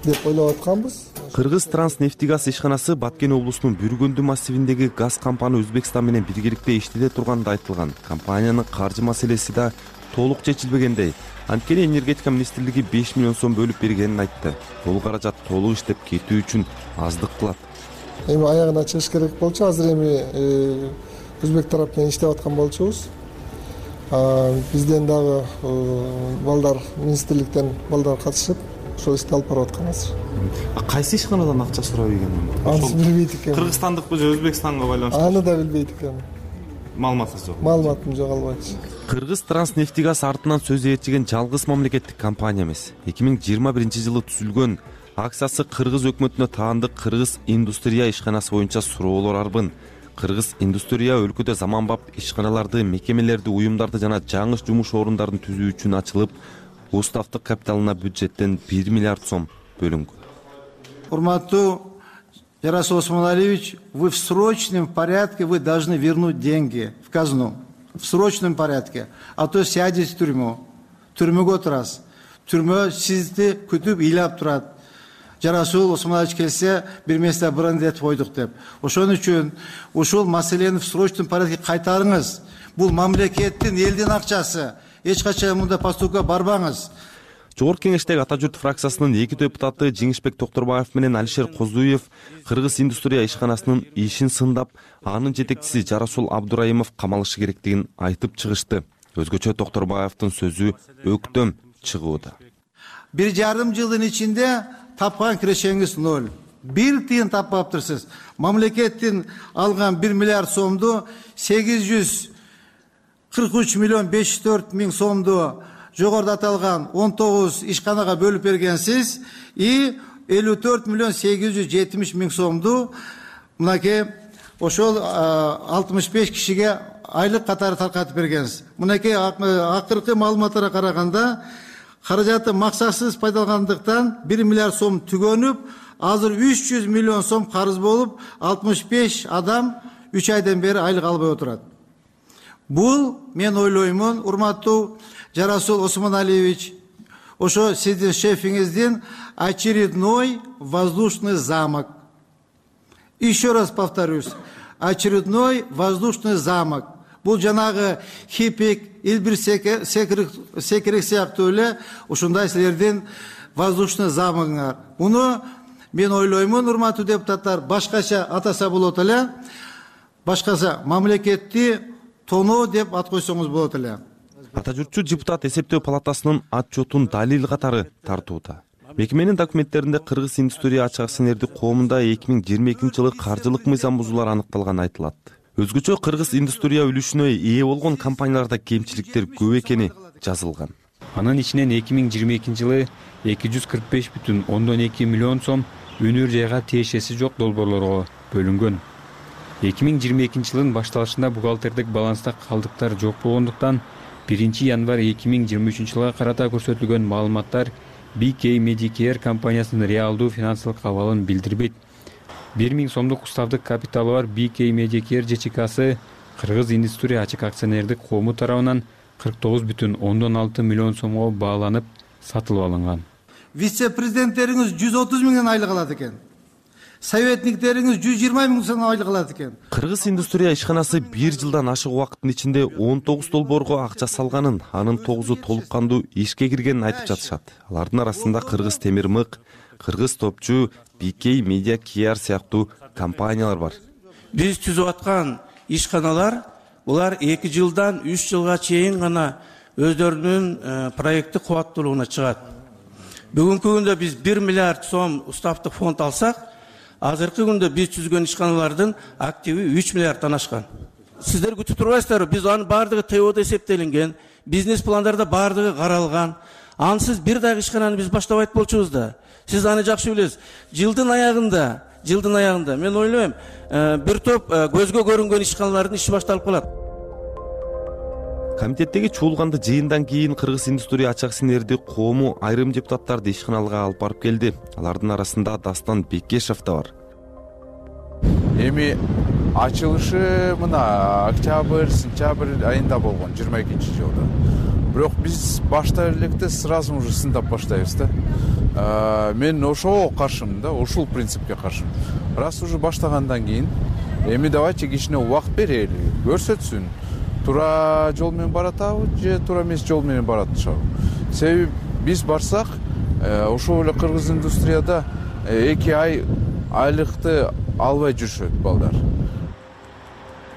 деп ойлоп атканбыз. Кыргыз Транснефтегаз ишканасы Баткен облусунун Бүргөндү массивиндеги газ кампаны Өзбекстан менен биргеликте иштете турганы да айтылган. Компаниянын каржы маселеси да толук чечилбегендей. Анткени энергетика министрлиги 5 миллион сом бөлүп бергенин айтты. Бул каражат толук иштеп кетүү үчүн аздык кылат. Эми аягына чыгыш керек болчу. Азыр эми өзбек тарап менен иштеп аткан болчубуз. Бизден дагы балдар, министрликтен балдар катышып, ошол ишти алып барып аткан азыр. Кайсы ишканадан акча сурап ийген? Аны билбейт экенмин. Кыргызстандыкпы же Өзбекстанга байланыштуу? Аны да билбейт экенмин. Маалыматыңыз жок. Маалыматым жок, албайчы. Кыргыз Транснефтегаз артынан сөз ээрчиген жалгыз мамлекеттик компания эмес. 2021-жылы түзүлгөн акциясы Кыргыз өкмөтүнө таандык Кыргыз индустрия ишканасы боюнча суроолор арбын. Кыргыз индустрия өлкөдө заманбап ишканаларды, мекемелерди, уюмдарды жана жаңы жумуш орундарын түзүү үчүн ачылып, уставдык капиталына бюджеттен 1 миллиард сом бөлүнгөн. Урматтуу Жарасул Осмоналиевич, вы в срочном порядке вы должны вернуть деньги в казну. В срочном порядке. А то сядете в тюрьму. Түрмөгө турасыз. Түрмө сизди күтүп ыйлап турат. Жарасул Осмоналиевич келсе, бир месте брендет койдук деп. Ошон үчүн ушул маселени в срочном порядке кайтарыңыз. Бул мамлекеттин, элдин акчасы. Эч качан мында поступка барбаңыз. Жогорку кеңештеги Ата журт фракциясынын 2 депутаты Жеңишбек Токторбаев менен Алишер Козуев Кыргыз индустрия ишканасынын ишин сындап, анын жетекчиси Жарасул Абдурайымов камалышы керектигин айтып чыгышты. Өзгөчө Токторбаевдин сөзү өктөм чыгууда. 1,5 жылдын ичинде тапкан кирешеңиз 0. 1 тыйын таппаптырсыз. Мамлекеттин алган 1 миллиард сомду 843 миллион 504 миң сомду жогоруда аталган 19 ишканага бөлүп бергенсиз и 54 миллион 870 миң сомду мынакей ошол 65 кишиге айлык катары таркатып бергенсиз. Мынакей акыркы маалыматтарга караганда каражаты максатсыз пайдалангандыктан 1 миллиард сом түгөнүп, азыр 300 миллион сом карыз болуп, 65 адам 3 айдан бери айлык албай отурат. Бул мен ойлоймун, урматтуу Жарасул Осмоналиевич, ошо сиздин шефиңиздин очередной воздушный замок. Еще раз повторюсь, очередной воздушный замок. Бул жанагы Хипик, Илбир Секирек сыяктуу эле ушундай силердин воздушный замогуңар. Муну мен ойлоймун, урматтуу депутаттар, башкача атаса болот эле, башкача мамлекетти тоноо деп ат койсоңуз болот эле. Ата журтчу депутат эсептөө палатасынын отчетун далил катары тартууда. Мекеменин документтеринде Кыргыз индустрия ачык акционердик коомунда 2022-жылы каржылык мыйзам бузуулар аныкталганы айтылат. Өзгөчө Кыргыз индустрия үлүшүнө ээ болгон компанияларда кемчиликтер көп экени жазылган. Анын ичинен 2022-жылы 245,2 миллион сом өнөр жайга тиешеси жок долбоорлорго бөлүнгөн. 2022-жылдын башталышында бухгалтердик баланста калдыктар жок болгондуктан 1 январь 2023-жылга карата көрсөтүлгөн маалыматтар BK Medicare компаниясынын реалдуу финансылык абалын билдирбейт. 1 миң сомдук уставдык капиталы бар BK Medicare ЖЧКсы Кыргыз индустрия ачык акционердик коому тарабынан 49,6 миллион сомго бааланып сатылып алынган. Вице-президенттериңиз 130 миңден айлык алат экен. Советниктериңиз 120 миң сом айлык алат экен. Кыргыз индустрия ишканасы 1 жылдан ашык убакыттын ичинде 19 долбоорго акча салганын, анын 9-у толук кандуу ишке киргенин айтып жатышат. Алардын арасында Кыргыз темир мык, Кыргыз топчу, BK Media Care сыяктуу компаниялар бар. Биз түзүп аткан ишканалар булар 2 жылдан 3 жылга чейин гана өздөрүнүн проекти кубаттуулугуна чыгат. Бүгүнкү күндө биз 1 миллиард сом уставдык фонд алсак, азыркы күндө биз түзгөн ишканалардын активи 3 миллиарддан ашкан. Сиздер күтүп турбайсыздарбы? Биз анын баардыгы ТОдо эсептелинген, бизнес пландарда баардыгы каралган. Ансыз бир дагы ишкананы биз баштабайт болчубуз да. Сиз аны жакшы билесиз. Жылдын аягында мен ойлойм, бир топ көзгө көрүнгөн ишканалардын иши башталып калат. Комитеттеги чуулганды жыйындан кийин Кыргыз индустрия ачык акционердик коому айрым депутаттарды ишканаларга алып барып келди. Алардын арасында Дастан Бекешев да бар. Эми ачылышы мына октябрь, сентябрь айында болгон 22-жылда. Бирок биз башта электе сразу уже сындап баштайбыз да. Мен ошого каршымын да, ушул принципке каршымын. Раз уже баштагандан кийин, эми давайте кичине убакыт берели, көрсөтсүн. туура жол менен баратабы же туура эмес жол менен баратышабы. Себеби биз барсак ошол эле кыргыз индустрияда 2 ай айлыкты албай жүрүшөт балдар.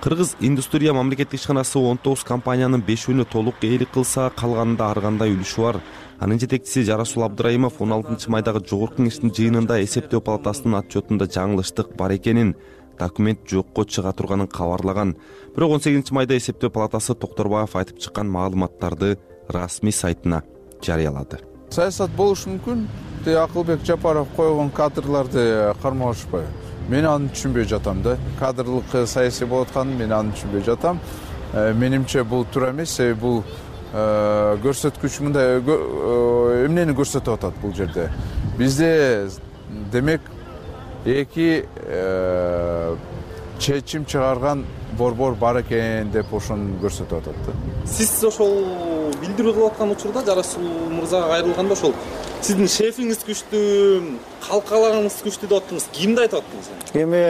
Кыргыз индустрия мамлекеттик ишканасы 19 компаниянын 5-ünü толук ээлик кылса, калганында ар кандай үлүшү бар. Анын жетекчиси Жарасул Абдыраимов 16 майдагы жогорку кеңештин жыйынында эсептөө палатасынын отчетунда жаңылыштык бар экенин, документ жокко чыга турганын кабарлаган. Бирок 18 майда эсептөө палатасы Токторбаев айтып чыккан маалыматтарды расмий сайтына жарыялады. Саясат болушу мүмкүн. Акылбек Жапаров койгон кадрларды кармалышпайбы? Мен аны түшүнбөй жатам да. Кадрлык саясий болуп атканын мен аны түшүнбөй жатам. Менимче бул туура эмес, себеби бул көрсөткүч мындай эмнени көрсөтүп атат бул жерде. Бизде демек эки чечим чыгарган борбор бар экен деп ошону көрсөтүп атат да. Сиз ошол билдирүү кылып аткан учурда Жарасул мырзага кайрылганда ошол сиздин шефиңиз күчтүү, калкалагыңыз күчтүү деп аттыңыз. Кимди айтып аттыңыз? Эми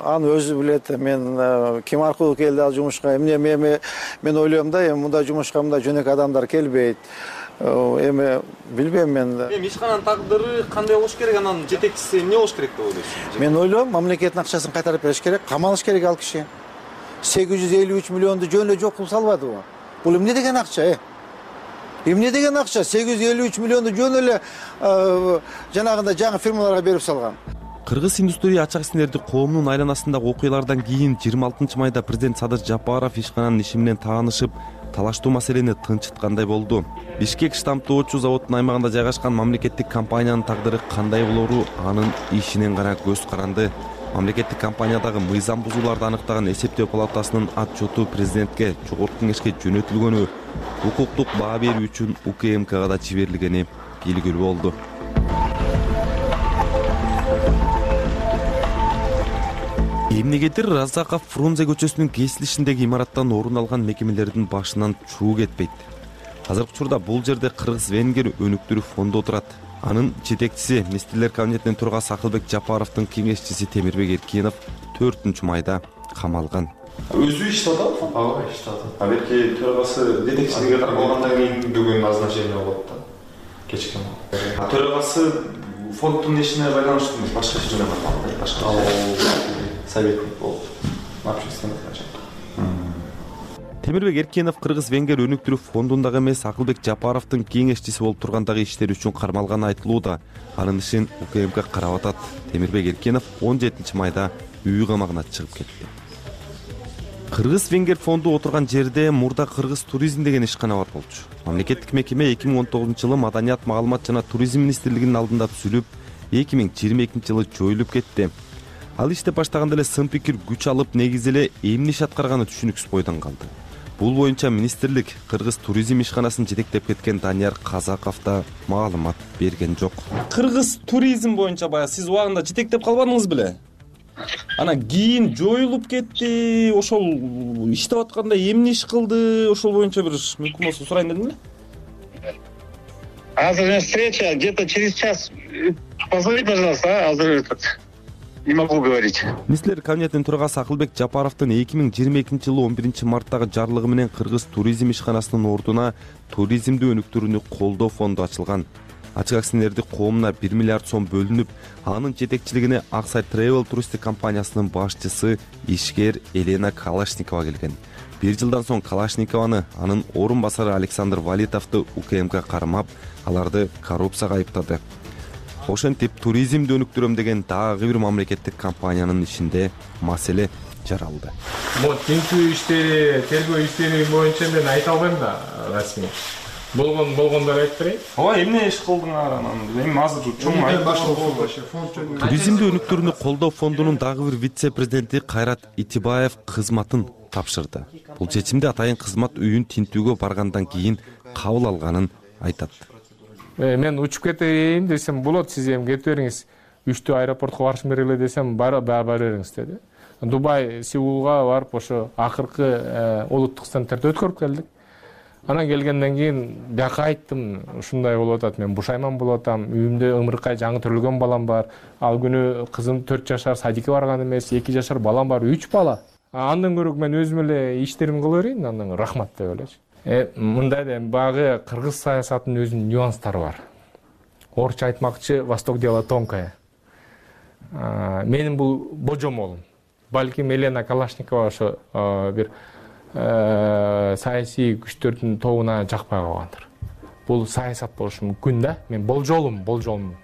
аны өзү билет. Мен ким аркылуу келди ал жумушка? Мен ойлойм да, эми мындай жумушка мындай жөнөкөй адамдар келбейт. Эми билбейм мен. Эми ишкананын тагдыры кандай болуш керек? Анан жетекчиси эмне болуш керек деп ойлойсуз? Мен ойлойм, мамлекеттин акчасын кайтарып бериш керек, камалыш керек ал киши. 853 миллионду жөн эле жок кылып салбадыбы? Бул эмне деген акча? Эмне деген акча? 853 миллионду жөн эле жанагындай жаңы фирмаларга берип салган. Кыргыз индустрия ачак исимдерди коомдун айланасындагы окуялардан кийин 26 майда президент Садыр Жапаров ишкананын иши менен таанышып, талаштуу маселени тынчыткандай болду. Бишкек штамптоочу заводунун аймагында жайгашкан мамлекеттик компаниянын тагдыры кандай болору анын ишинен гана көз каранды. Мамлекеттик компаниядагы мыйзам бузууларды аныктаган эсептөө палатасынын отчету президентке, жогорку кеңешке жөнөтүлгөнү, укуктук баа берүү үчүн УКМКга да жиберилгени белгилүү болду. Эмнегедир Разаков Фрунзе көчөсүнүн кесилишиндеги имараттан орун алган мекемелердин башынан чуу кетпейт. Азыркы учурда бул жерде Кыргыз-Венгер өнүктүрүү фонду отурат. Анын жетекчиси министрлер кабинетинин төрагасы Акылбек Жапаровдун кеңешчиси Темирбек Эркинов 4 майда камалган. Өзү иштеп атат, ага иштеп атат. Берки төрагасы жетекчилиге каралгандан кийин бүгүн назначение болот да. Кечке. Төрагасы фонддун ишине байланыштуу эмес, башка иш менен барган, башка советник болуп, общественный начальник. Темирбек Эркинов Кыргыз-Венгер өнүктүрүү фондундагы эмес, Акылбек Жапаровдун кеңешчиси болуп тургандагы иштери үчүн кармалганы айтылууда. Анын ишин УКМК карап атат. Темирбек Эркинов 17 майда үй камагына чыгып кетти. Кыргыз-Венгер фонду отурган жерде мурда Кыргыз туризм деген ишкана бар болчу. Мамлекеттик мекеме 2019-жылы Маданият, маалымат жана туризм министрлигинин алдында түзүлүп, 2022-жылы жоюлуп кетти. Ал иштеп баштаганда эле сын пикир күч алып, негизи эле эмне иш аткарганы түшүнүксүз бойдон калды. Бул боюнча министрлик Кыргыз туризм ишканасын жетектеп кеткен Данияр Казаков да маалымат берген жок. Кыргыз туризм боюнча баягы сиз убагында жетектеп калбадыңыз беле? Анан кийин жоюлуп кетти. Ошол иштеп атканда эмне иш кылды? Ошол боюнча бир мүмкүн болсо сурайын дедим эле. Азыр встреча где-то через час. Позвони, пожалуйста, азыр не могу говорить. Министрлер кабинетинин төрагасы Акылбек Жапаровдун 2022-жылы 11 марттагы жарлыгы менен Кыргыз туризм ишканасынын ордуна туризмди өнүктүрүүнү колдоо фонду ачылган. Ачык акционердик коомуна 1 миллиард сом бөлүнүп, анын жетекчилигине Аксай Travel туристик компаниясынын башчысы ишкер Елена Калашникова келген. 1 жылдан соң Калашникованы, анын орун басары Александр Валитовду УКМК кармап, аларды коррупцияга айыптады. Ошентип туризмди өнүктүрөм деген дагы бир мамлекеттик компаниянын ишинде маселе жаралды. Бул тинтүү иштери, тергөө иштери боюнча мен айта албайм да, расмий. Болгондор айтып берейин. Ооба, эмне иш кылдыңар анан? Эми азыр чоң айтып. Туризмди өнүктүрүүнү колдоо фондунун дагы бир вице-президенти Кайрат Итибаев кызматын тапшырды. Бул чечимди атайын кызмат үйүн тинтүүгө баргандан кийин кабыл алганын айтат. Мен учуп кетейин десем болот, сиз эми кетип бериңиз. 3-тө аэропортко барышым керек эле десем, бара бериңиз деди. Дубай, Сеулга барып ошо акыркы улуттук стендтерди өткөрүп келдик. Анан келгенден кийин бияка айттым, ушундай болуп атат, мен бушайман болуп атам, үйүмдө ымыркай жаңы төрөлгөн балам бар. Ал күнү кызым 4 жашар садикке барган эмес, 2 жашар балам бар, 3 бала. Андан көрө мен өзүм эле иштеримди кыла берейин, андан рахмат деп элечи. Мындай да багы кыргыз саясатынын өзүнүн нюанстары бар. Орусча айтмакчы, Восток дело тонкое. Менин бул божомолум. Балким Елена Калашникова ошо бир саясий күчтөрдүн тобуна жакпай калгандыр. Бул саясат болушу мүмкүн да. Мен болжолум.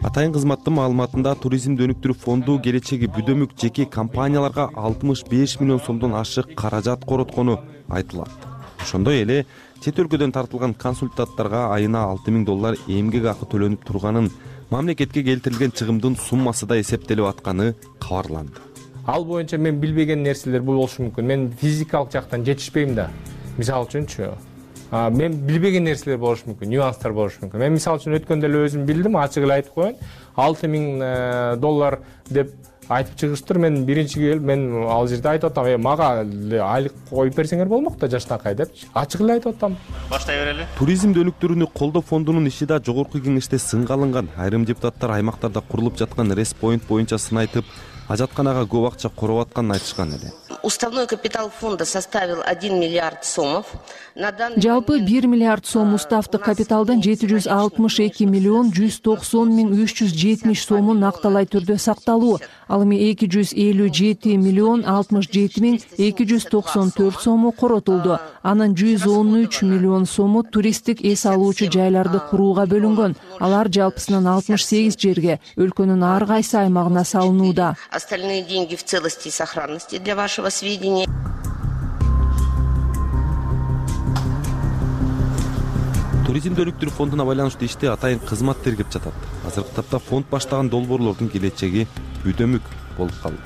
Атайын кызматтын маалыматында туризмди өнүктүрүү фонду келечеги бүдөмүк жеке компанияларга 65 миллион сомдон ашык каражат короткону айтылат. Ошондой эле чет өлкөдөн тартылган консультанттарга айына $6,000 эмгек акы төлөнүп турганын, мамлекетке келтирилген чыгымдын суммасы да эсептелип атканы кабарланды. Ал боюнча мен билбеген нерселер болушу мүмкүн. Мен физикалык жактан жетишпейм да. Мисалы үчүнчү, мен билбеген нерселер болушу мүмкүн, нюанстар болушу мүмкүн. Мен мисалы үчүн өткөндө эле өзүм билдим, ачык эле айтып коеюн. $6,000 деп айтып чыгыштыр. Мен биринчи келип, мен ал жерде айтып атам, мага айлык коюп берсеңер болмок да жаштакай депчи. Ачык эле айтып атам. Баштай берели. Туризмди өнүктүрүүнү колдоо фондунун иши да жогорку кеңеште сынга алынган. Айрым депутаттар аймактарда курулуп жаткан респоинт боюнча сын айтып, ажатканага көп акча короп атканын айтышкан эле. Уставной капитал фонда составил 1 миллиард сомов. Жалпы 1 миллиард сом уставдык капиталдын 762 миллион 190 миң 370 сому накталай түрдө сакталуу. Ал эми 257 миллион 67 миң 294 сому коротулду. Анын 113 миллион сому туристтик эс алуучу жайларды курууга бөлүнгөн. Алар жалпысынан 68 жерге, өлкөнүн ар кайсы аймагына салынууда. Остальные деньги в целости и сохранности для вашего сведения. Туризмди өнүктүрүү фондуна байланыштуу ишти атайын кызмат тергеп жатат. Азыркы тапта фонд баштаган долбоорлордун келечеги бүдөмүк болуп калды.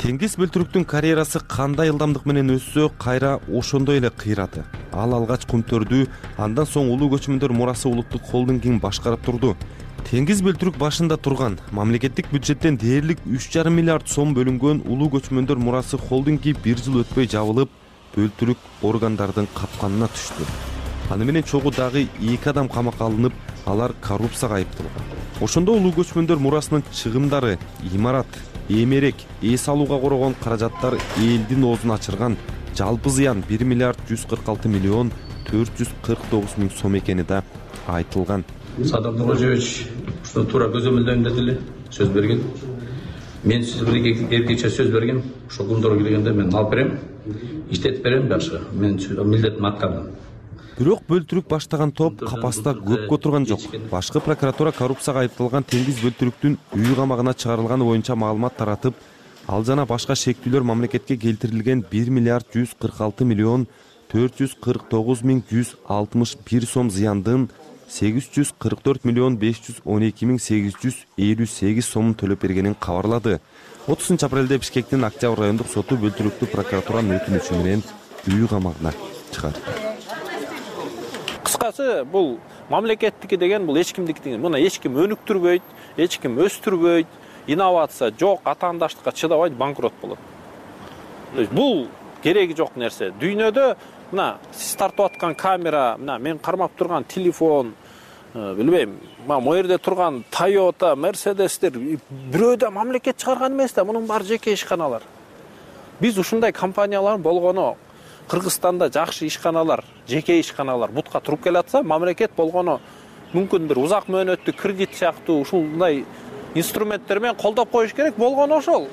Теңиз бөлтүрүктүн карьерасы кандай ылдамдык менен өссө, кайра ошондой эле кыйрады. Ал алгач Кумтөрдү, андан соң Улуу көчмөндөр мурасы улуттук холдингин башкарып турду. Теңиз бөлтүрүк башында турган, мамлекеттик бюджеттен дээрлик 3,5 миллиард сом бөлүнгөн Улуу көчмөндөр мурасы холдинги 1 жыл өтпөй жабылып, бөлтүрүк органдардын капканына түштү. Аны менен чогуу дагы 2 адам камакка алынып, алар коррупцияга айыпталган. Ошондо Улуу көчмөндөр мурасынын чыгымдары, имарат, эмерек, эс алууга корогон каражаттар элдин оозун ачырган. Жалпы зыян 1 миллиард 146 миллион 449 миң сом экени да айтылган. Садам Нурожевич, что туура көзөмөлдөйм дедиле, сөз берген. Мен сизге эркече сөз берген, ошо күндөргө келгенде мен алып берем, иштетип берем дагы. Мен милдетимди аткардым. Бирок бөлтүрүк баштаган топ капаста көпкө турган жок. Башкы прокуратура коррупцияга айыпталган Теңиз бөлтүрүктүн үй камагына чыгарылганы боюнча маалымат таратып, ал жана башка шектүүлөр мамлекетке келтирилген 1 миллиард 146 миллион 449 миң 161 сом зыяндын 844 миллион 512 миң 858 сомун төлөп бергенин кабарлады. 30 апрелде Бишкектин Октябрь райондук соту бөлтүрүктү прокуратуранын өтүнүчү менен үй камагына чыгарды. Кыскасы, бул мамлекеттики деген бул эч кимдики деген. Муну эч ким өнүктүрбөйт, эч ким өстүрбөйт, инновация жок, атаандаштыкка чыдабайт, банкрот болот. Бул кереги жок нерсе. Дүйнөдө мына сиз тартып аткан камера, мына мен кармап турган телефон, билбейм, могу жерде турган Toyota, Mercedes'тер бирөө да мамлекет чыгарган эмес да, мунун баары жеке ишканалар. Биз ушундай компаниялар болгону Кыргызстанда жакшы ишканалар, жеке ишканалар бутка туруп келатса, мамлекет болгону мүмкүн бир узак мөөнөттүү кредит сыяктуу ушундай инструменттер менен колдоп коюш керек. Болгону ошол.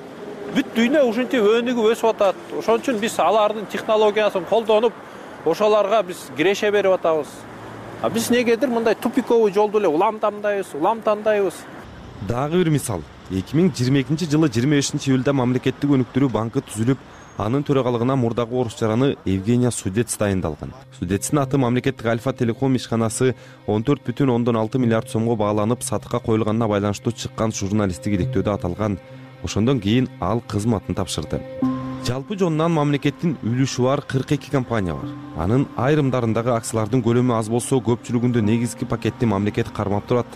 Бүт дүйнө ушинтип өнүгүп өсүп атат. Ошон үчүн биз алардын технологиясын колдонуп, ошолорго биз киреше берип атабыз. А биз негедир мындай тупиковый жолду эле улам тандайбыз. Дагы бир мисал. 2022 жылы 25 июлда мамлекеттик өнүктүрүү банкы түзүлүп, анын төрагалыгына мурдагы орусчараны Евгения Судец дайындалган. Судецтин аты мамлекеттик Альфа Телеком ишканасы 14,6 миллиард сомго бааланып сатыкка коюлганына байланыштуу чыккан журналисттик иликтөөдө аталган. Ошондон кийин ал кызматын тапшырды. Жалпы жонунан мамлекеттин үлүшү бар 42 компания бар. Анын айрымдарындагы акциялардын көлөмү аз болсо, көпчүлүгүндө негизги пакетти мамлекет кармап турат.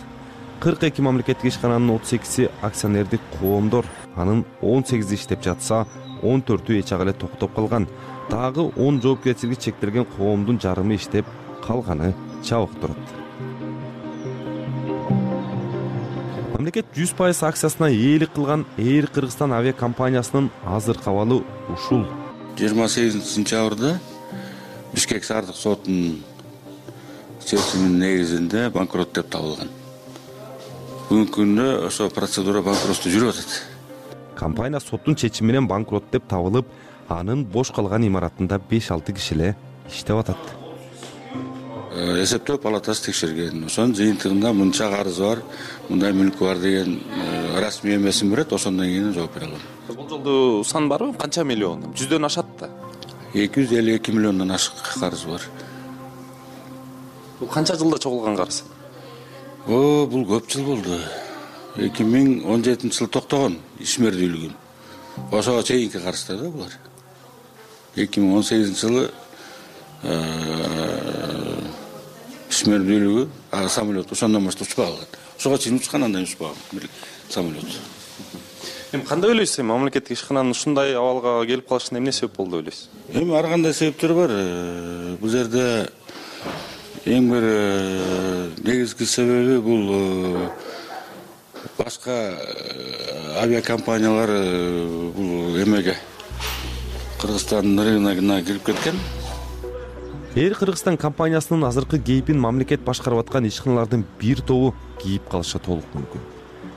42 мамлекеттик ишкананын 38 акционердик коомдор, анын 18 иштеп жатса, 14-ü эч ак эле токтоп калган. Дагы 10 жоопкерчилиги чектелген коомдун жарымы иштеп, калганы чабык турат. Мамлекет 100% акциясына ээлик кылган Air Кыргызстан авиакомпаниясынын азыркы абалы ушул. 28 сентябрда Бишкек шаардык сотунун чечиминин негизинде банкрот деп табылган. Бүгүнкү күндө ошо процедура банкротто жүрүп атат. Компания соттун чечими менен банкрот деп табылып, анын бош калган имаратында 5-6 киши эле иштеп атат. Эсептөө палатасы текшерген. Ошонун жыйынтыгында мынча карыз бар, мындай мүлкү бар деген расмий эмесин берет, ошондон кийин жооп бере алам. Бул жолду сан барбы? Канча миллион? 100дөн ашат да. 252 миллиондон ашык карыз бар. Бул канча жылда чогулган карыз? Бул көп жыл болду. 2017-жылы токтогон ишмердүүлүгүм. Ошого чейинки карыздар да булар. 2018-жылы ишмердүүлүгү самолет ошондон баштап учпай калган. Ошого чейин учкан, андан учпаган самолет. Эми кандай ойлойсуз? Мамлекеттик ишкананын ушундай абалга келип калышына эмне себеп болду деп ойлойсуз? Эми ар кандай себептер бар. Бул жерде эң бир негизги себеби бул башка авиакомпаниялар бул эмеге Кыргызстандын рыногуна кирип кеткен. Air Кыргызстан компаниясынын азыркы кейпин мамлекет башкарып аткан ишканалардын бир тобу кийип калышы толук мүмкүн.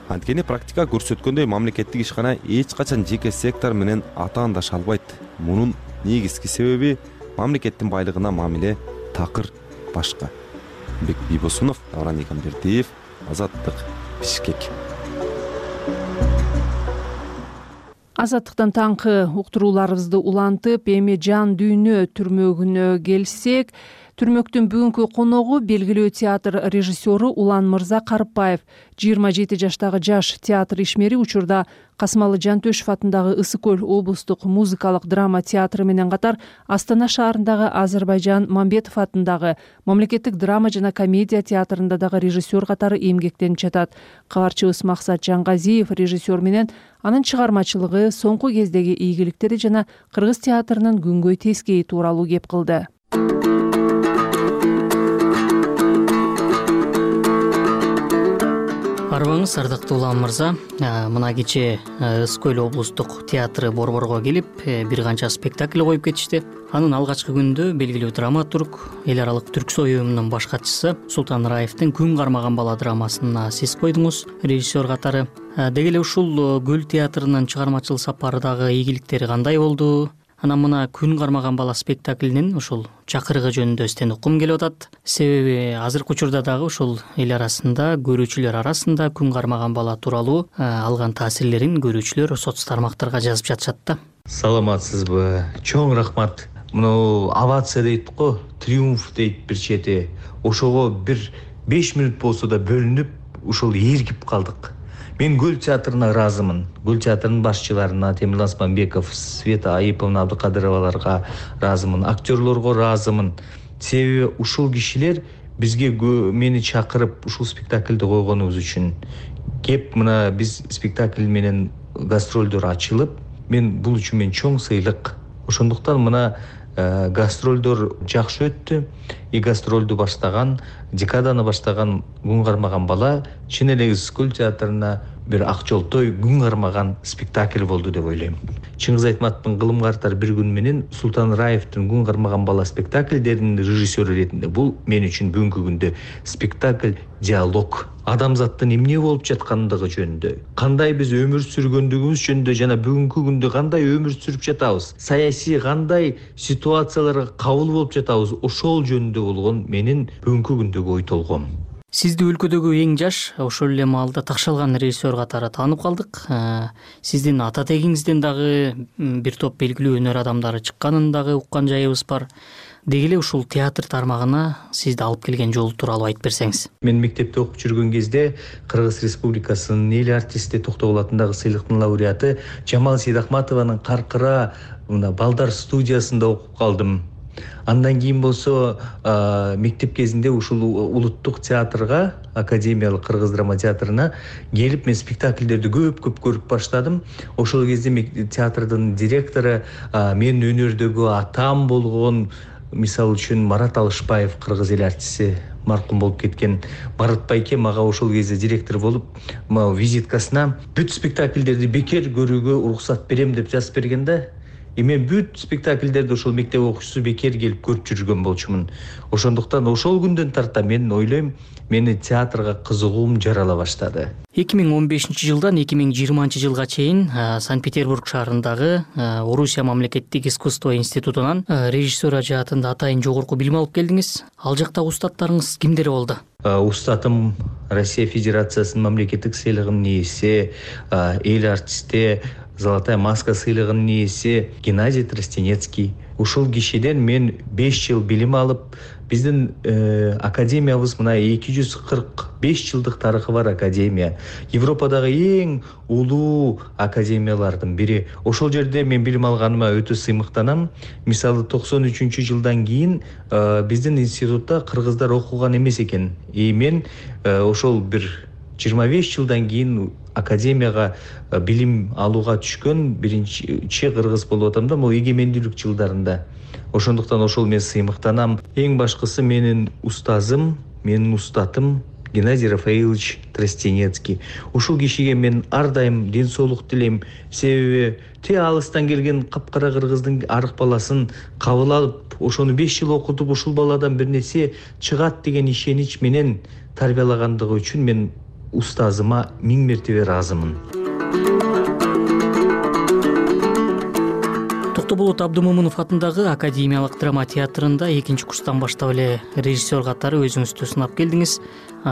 Анткени практика көрсөткөндөй мамлекеттик ишкана эч качан жеке сектор менен атаандаша албайт. Мунун негизги себеби мамлекеттин байлыгына мамиле такыр башка. Бек Бибосунов, Давран Игамбердиев, Азаттык, Бишкек. Азаттыктан таңкы уктурууларыбызды улантып, эми жан дүйнө түрмөгүнө келсек, түрмөктүн бүгүнкү коногу белгилүү театр режиссеру Улан Мырза Карыпбаев. 27 жаштагы жаш театр ишмери учурда Касымалы Жантөшев атындагы Ысык көл облустук музыкалык драма театры менен катар Астана шаарындагы Азербайжан Мамбетов атындагы мамлекеттик драма жана комедия театрында дагы режиссер катары эмгектенип жатат. Кабарчыбыз Максат Жангазиев режиссер менен анын чыгармачылыгы, соңку кездеги ийгиликтери жана кыргыз театрынын күнгөй тескейи тууралуу кеп кылды. Арбаңыз, ардактуу Улан Мырза, мына кечээ Ысык көл облустук театры Борборго келип, бир канча спектакль коюп кетишти. Анын алгачкы күндө белгилүү драматург, эл аралык Түрксой уюмунун баш катчысы Султан Раевдин Күн кармаган бала драмасына сиз койдуңуз, режиссер катары. Деги эле ушул Көл театрынын чыгармачыл сапары дагы ийгиликтери кандай болду? Анан мына Күн кармаган бала спектаклинин ушул чакырыгы жөнүндө сизден уккум келип атат. Себеби азыркы учурда дагы ушул эл арасында, көрүүчүлөр арасында Күн кармаган бала тууралуу алган таасирлерин көрүүчүлөр соц тармактарга жазып жатышат да. Саламатсызбы? Чоң рахмат. Мына овация дейт го, триумф дейт бир чети. Ошого бир 5 минут болсо да бөлүнүп, ушул эргип калдык. Мен Көл театрына ыраазымын. Көл театрынын башчыларына Темирлан Османбеков, Света Айыповна Абдыкадыроваларга ыраазымын, актерлорго ыраазымын. Себеби ушул кишилер бизге мени чакырып ушул спектакльди койгонубуз үчүн. Кеп мына биз спектакль менен гастролдор ачылып, мен бул үчүн мен чоң сыйлык. Ошондуктан мына гастролдор жакшы өттү. Гастролду баштаган, декаданы баштаган Күн кармаган бала чын эле Ысык көл театрына бир ак жолтой күн кармаган спектакль болду деп ойлойм. Чыңгыз Айтматовдун Кылымга артар бир күн менен Султан Раевдин Күн кармаган бала спектакльдеринин режиссеру ретинде бул мен үчүн бүгүнкү күндө спектакль диалог. Адамзаттын эмне болуп жаткандыгы жөнүндө, кандай биз өмүр сүргөндүгүбүз жөнүндө жана бүгүнкү күндө кандай өмүр сүрүп жатабыз, саясий кандай ситуацияларга кабыл болуп жатабыз, ошол жөнүндө болгон менин бүгүнкү күндөгү ой толгом. Сизди өлкөдөгү эң жаш, ошол эле маалда такшалган режиссер катары таанып калдык. Сиздин ата тегиңизден дагы бир топ белгилүү өнөр адамдары чыкканын дагы уккан жайыбыз бар. Деги эле ушул театр тармагына сизди алып келген жол тууралуу айтып берсеңиз. Мен мектепте окуп жүргөн кезде Кыргыз Республикасынын эл артисти Токтогул атындагы сыйлыктын лауреаты Жамал Сейдахматованын Каркыра мына балдар студиясында окуп калдым. Андан кийин болсо мектеп кезинде ушул улуттук театрга, Академиялык Кыргыз драма театрына келип мен спектакльдерди көп көрүп баштадым. Ошол кезде театрдын директору мен өнөрдөгү атам болгон, мисалы үчүн Марат Алышбаев, кыргыз эл артисти маркум болуп кеткен Марат байке мага ошол кезде директор болуп визиткасына бүт спектакльдерди бекер көрүүгө уруксат берем деп жазып берген да. Мен бүт спектакльдерди ошол мектеп окуучусу бекер келип көрүп жүргөн болчумун. Ошондуктан ошол күндөн тарта мен ойлойм, мени театрга кызыгуум жарала баштады. 2015-жылдан 2020-жылга чейин Санкт-Петербург шаарындагы Орусия мамлекеттик искусство институтунан режиссер жаатында атайын жогорку билим алып келдиңиз. Ал жактагы устаттарыңыз кимдер болду? Устатым Россия Федерациясынын мамлекеттик сыйлыгынын ээси, эл артисти, Золотая маска сыйлыгынын ээси Геннадий Тростенецкий. Ушул кишиден мен 5 жыл билим алып, биздин академиябыз мына 245 жылдык тарыхы бар академия. Европадагы эң улуу академиялардын бири. Ошол жерде мен билим алганыма өтө сыймыктанам. Мисалы 93-жылдан кийин биздин институтта кыргыздар окуган эмес экен. Мен ошол бир 25 жылдан кийин академияга билим алууга түшкөн биринчи кыргыз болуп атам да, бул эгемендүүлүк жылдарында. Ошондуктан ошол мен сыймыктанам. Эң башкысы менин устазым, менин устатым Геннадий Рафаилович Тростенецкий. Ушул кишиге мен ар дайым ден соолук тилейм. Себеби алыстан келген капкара кыргыздын арык баласын кабыл алып, ошону 5 жыл окутуп, ушул баладан бир нерсе чыгат деген ишенич менен тарбиялагандыгы үчүн мен устазыма 1000 мертебе ыраазымын. Токтоболот Абдымомунов атындагы Академиялык драма театрында 2-курстан баштап эле режиссер катары өзүңүздү сынап келдиңиз.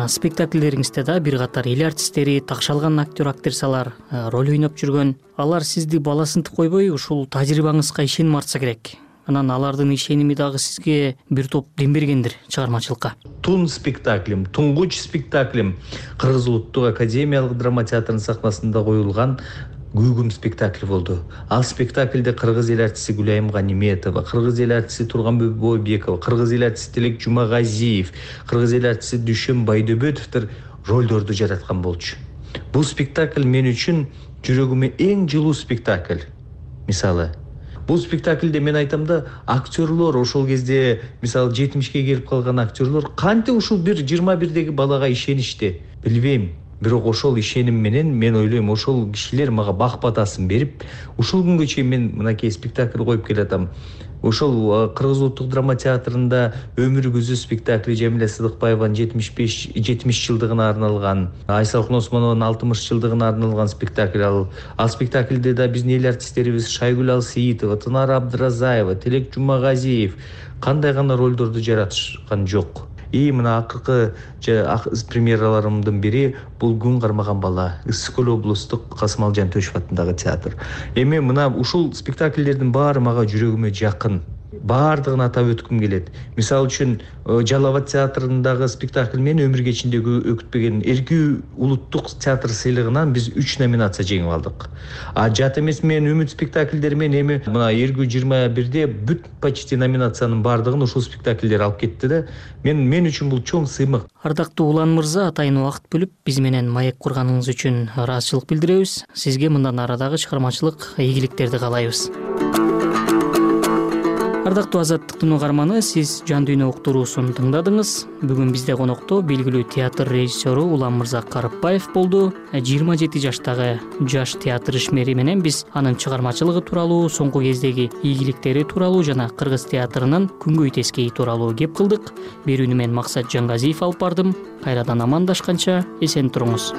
Спектакльдериңизде да бир катар эл артисттери, такшалган актер-актрисалар роль ойноп жүргөн. Алар сизди баласынтып койбой, ушул тажрыйбаңызга ишеним артса керек. Анан алардын ишеними дагы сизге бир топ дем бергендир чыгармачылыкка. Тун спектаклим, туңгуч спектаклим Кыргыз улуттук академиялык драма театрынын сахнасында коюлган Гүгүм спектакль болду. Ал спектакльде кыргыз эл артисти Гүлайым Ганиметова, кыргыз эл артисти Турганбек Бойбекова, кыргыз эл артисти Тилек Жумагазиев, кыргыз эл артисти Дүшөн Байдөбөтовдор ролдорду жараткан болчу. Бул спектакль мен үчүн жүрөгүмө эң жылуу спектакль. Мисалы, бул спектакльде мен айтам да, актерлор ошол кезде, мисалы 70-ке келип калган актерлор кантип ушул бир 21-деги балага ишеништи, билбейм. Бирок ошол ишеним менен мен ойлойм, ошол кишилер мага бак батасын берип, ушул күнгө чейин мен мынакей спектакль коюп келатам. Ошол Кыргыз улуттук драма театрында Өмүр күзү спектакли Жамиля Сыдыкбаеванын 70 жылдыгына арналган, Айсалкын Осмонованын 60 жылдыгына арналган спектакль. Ал спектакльде да биздин эл артисттерибиз Шайгүл Алсейитова, Тынар Абдыразаева, Тилек Жумагазиев кандай гана ролдорду жаратышкан жок. Мына акыркы премьераларымдын бири бул Күн кармаган бала, Ысык Көл облустук Касымалжан Төшев атындагы театр. Эми мына ушул спектакльдердин баары мага жүрөгүмө жакын. Баардыгын атап өткүм келет. Мисалы үчүн Жалал Абад театрындагы спектакль мен өмүр кечиндеги өкүтпеген Эркүү улуттук театр сыйлыгынан биз 3 номинация жеңип алдык. Жат эмес мен Үмүт спектакльдери мен эми мына Эркүү 21-де бүт почти номинациянын баардыгын ушул спектакльдер алып кетти да. Мен үчүн бул чоң сыймык. Ардактуу Улан мырза, атайын убакыт бөлүп биз менен маек курганыңыз үчүн ыраазычылык билдиребиз. Сизге мындан арадагы чыгармачылык ийгиликтерди каалайбыз. Ардактуу Азаттыктын угарманы, сиз Жан дүйнө уктуруусун тыңдадыңыз. Бүгүн бизде конокто белгилүү театр режиссеру Улан мырза Карыпбаев болду. 27 жаштагы жаш театр ишмери менен биз анын чыгармачылыгы тууралуу, соңку кездеги ийгиликтери тууралуу жана кыргыз театрынын күнгөй тескейи тууралуу кеп кылдык. Берүүнү мен Максат Жангазиев алып бардым. Кайрадан амандашканча эсен туруңуз.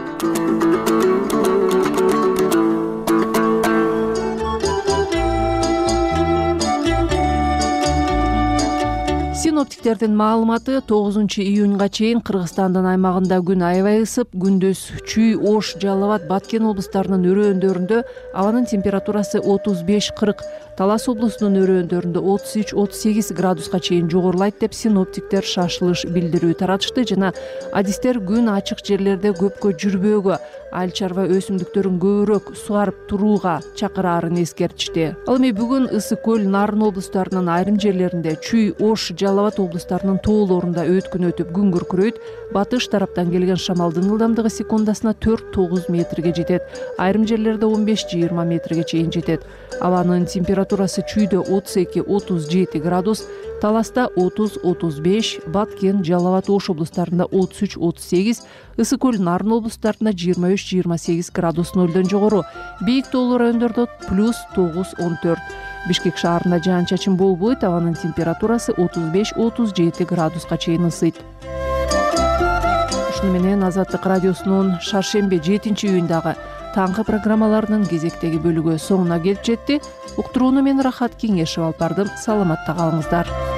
Синоптиктердин маалыматы 9-июнга чейин Кыргызстандын аймагында күн аябай ысып, күндүз Чүй, Ош, Жалал Абад, Баткен облустарынын өрөөндөрүндө абанын температурасы 35-40, Талас облусунун өрөөндөрүндө 33-38 градуска чейин жогорулайт деп синоптиктер шашылыш билдирүү таратышты жана адистер күн ачык жерлерде көпкө жүрбөөгө, айыл чарба өсүмдүктөрүн көбүрөөк суарып турууга чакыраарын эскертишти. Ал эми бүгүн Ысык Көл, Нарын облустарынын айрым жерлеринде, Чүй, Ош, Жалал Абад облустарынын тоолорунда өткүн өтүп күн күркүрөйт. Батыш тараптан келген шамалдын ылдамдыгы секундасына 4-9 метрге жетет. Айрым жерлерде 15-20 метрге чейин жетет. Абанын температурасы температурасы чүйдө 32-37 градус, Таласта 30-35, Баткен, Жалал Абад Ош облустарында 33-38, Ысык Көл, Нарын облустарында 23-28 градус нөлдөн жогору. Бийик тоолуу райондордо +9-14. Бишкек шаарында жаан-чачын болбойт, абанын температурасы 35-37 градуска чейин ысыйт. Ушуну менен Азаттык радиосунун шаршемби 7-июндагы таңкы программаларынын кезектеги бөлүгү соңуна келип жетти. Уктурууну мен Рахат Кеңешев алып бардым. Саламатта калыңыздар.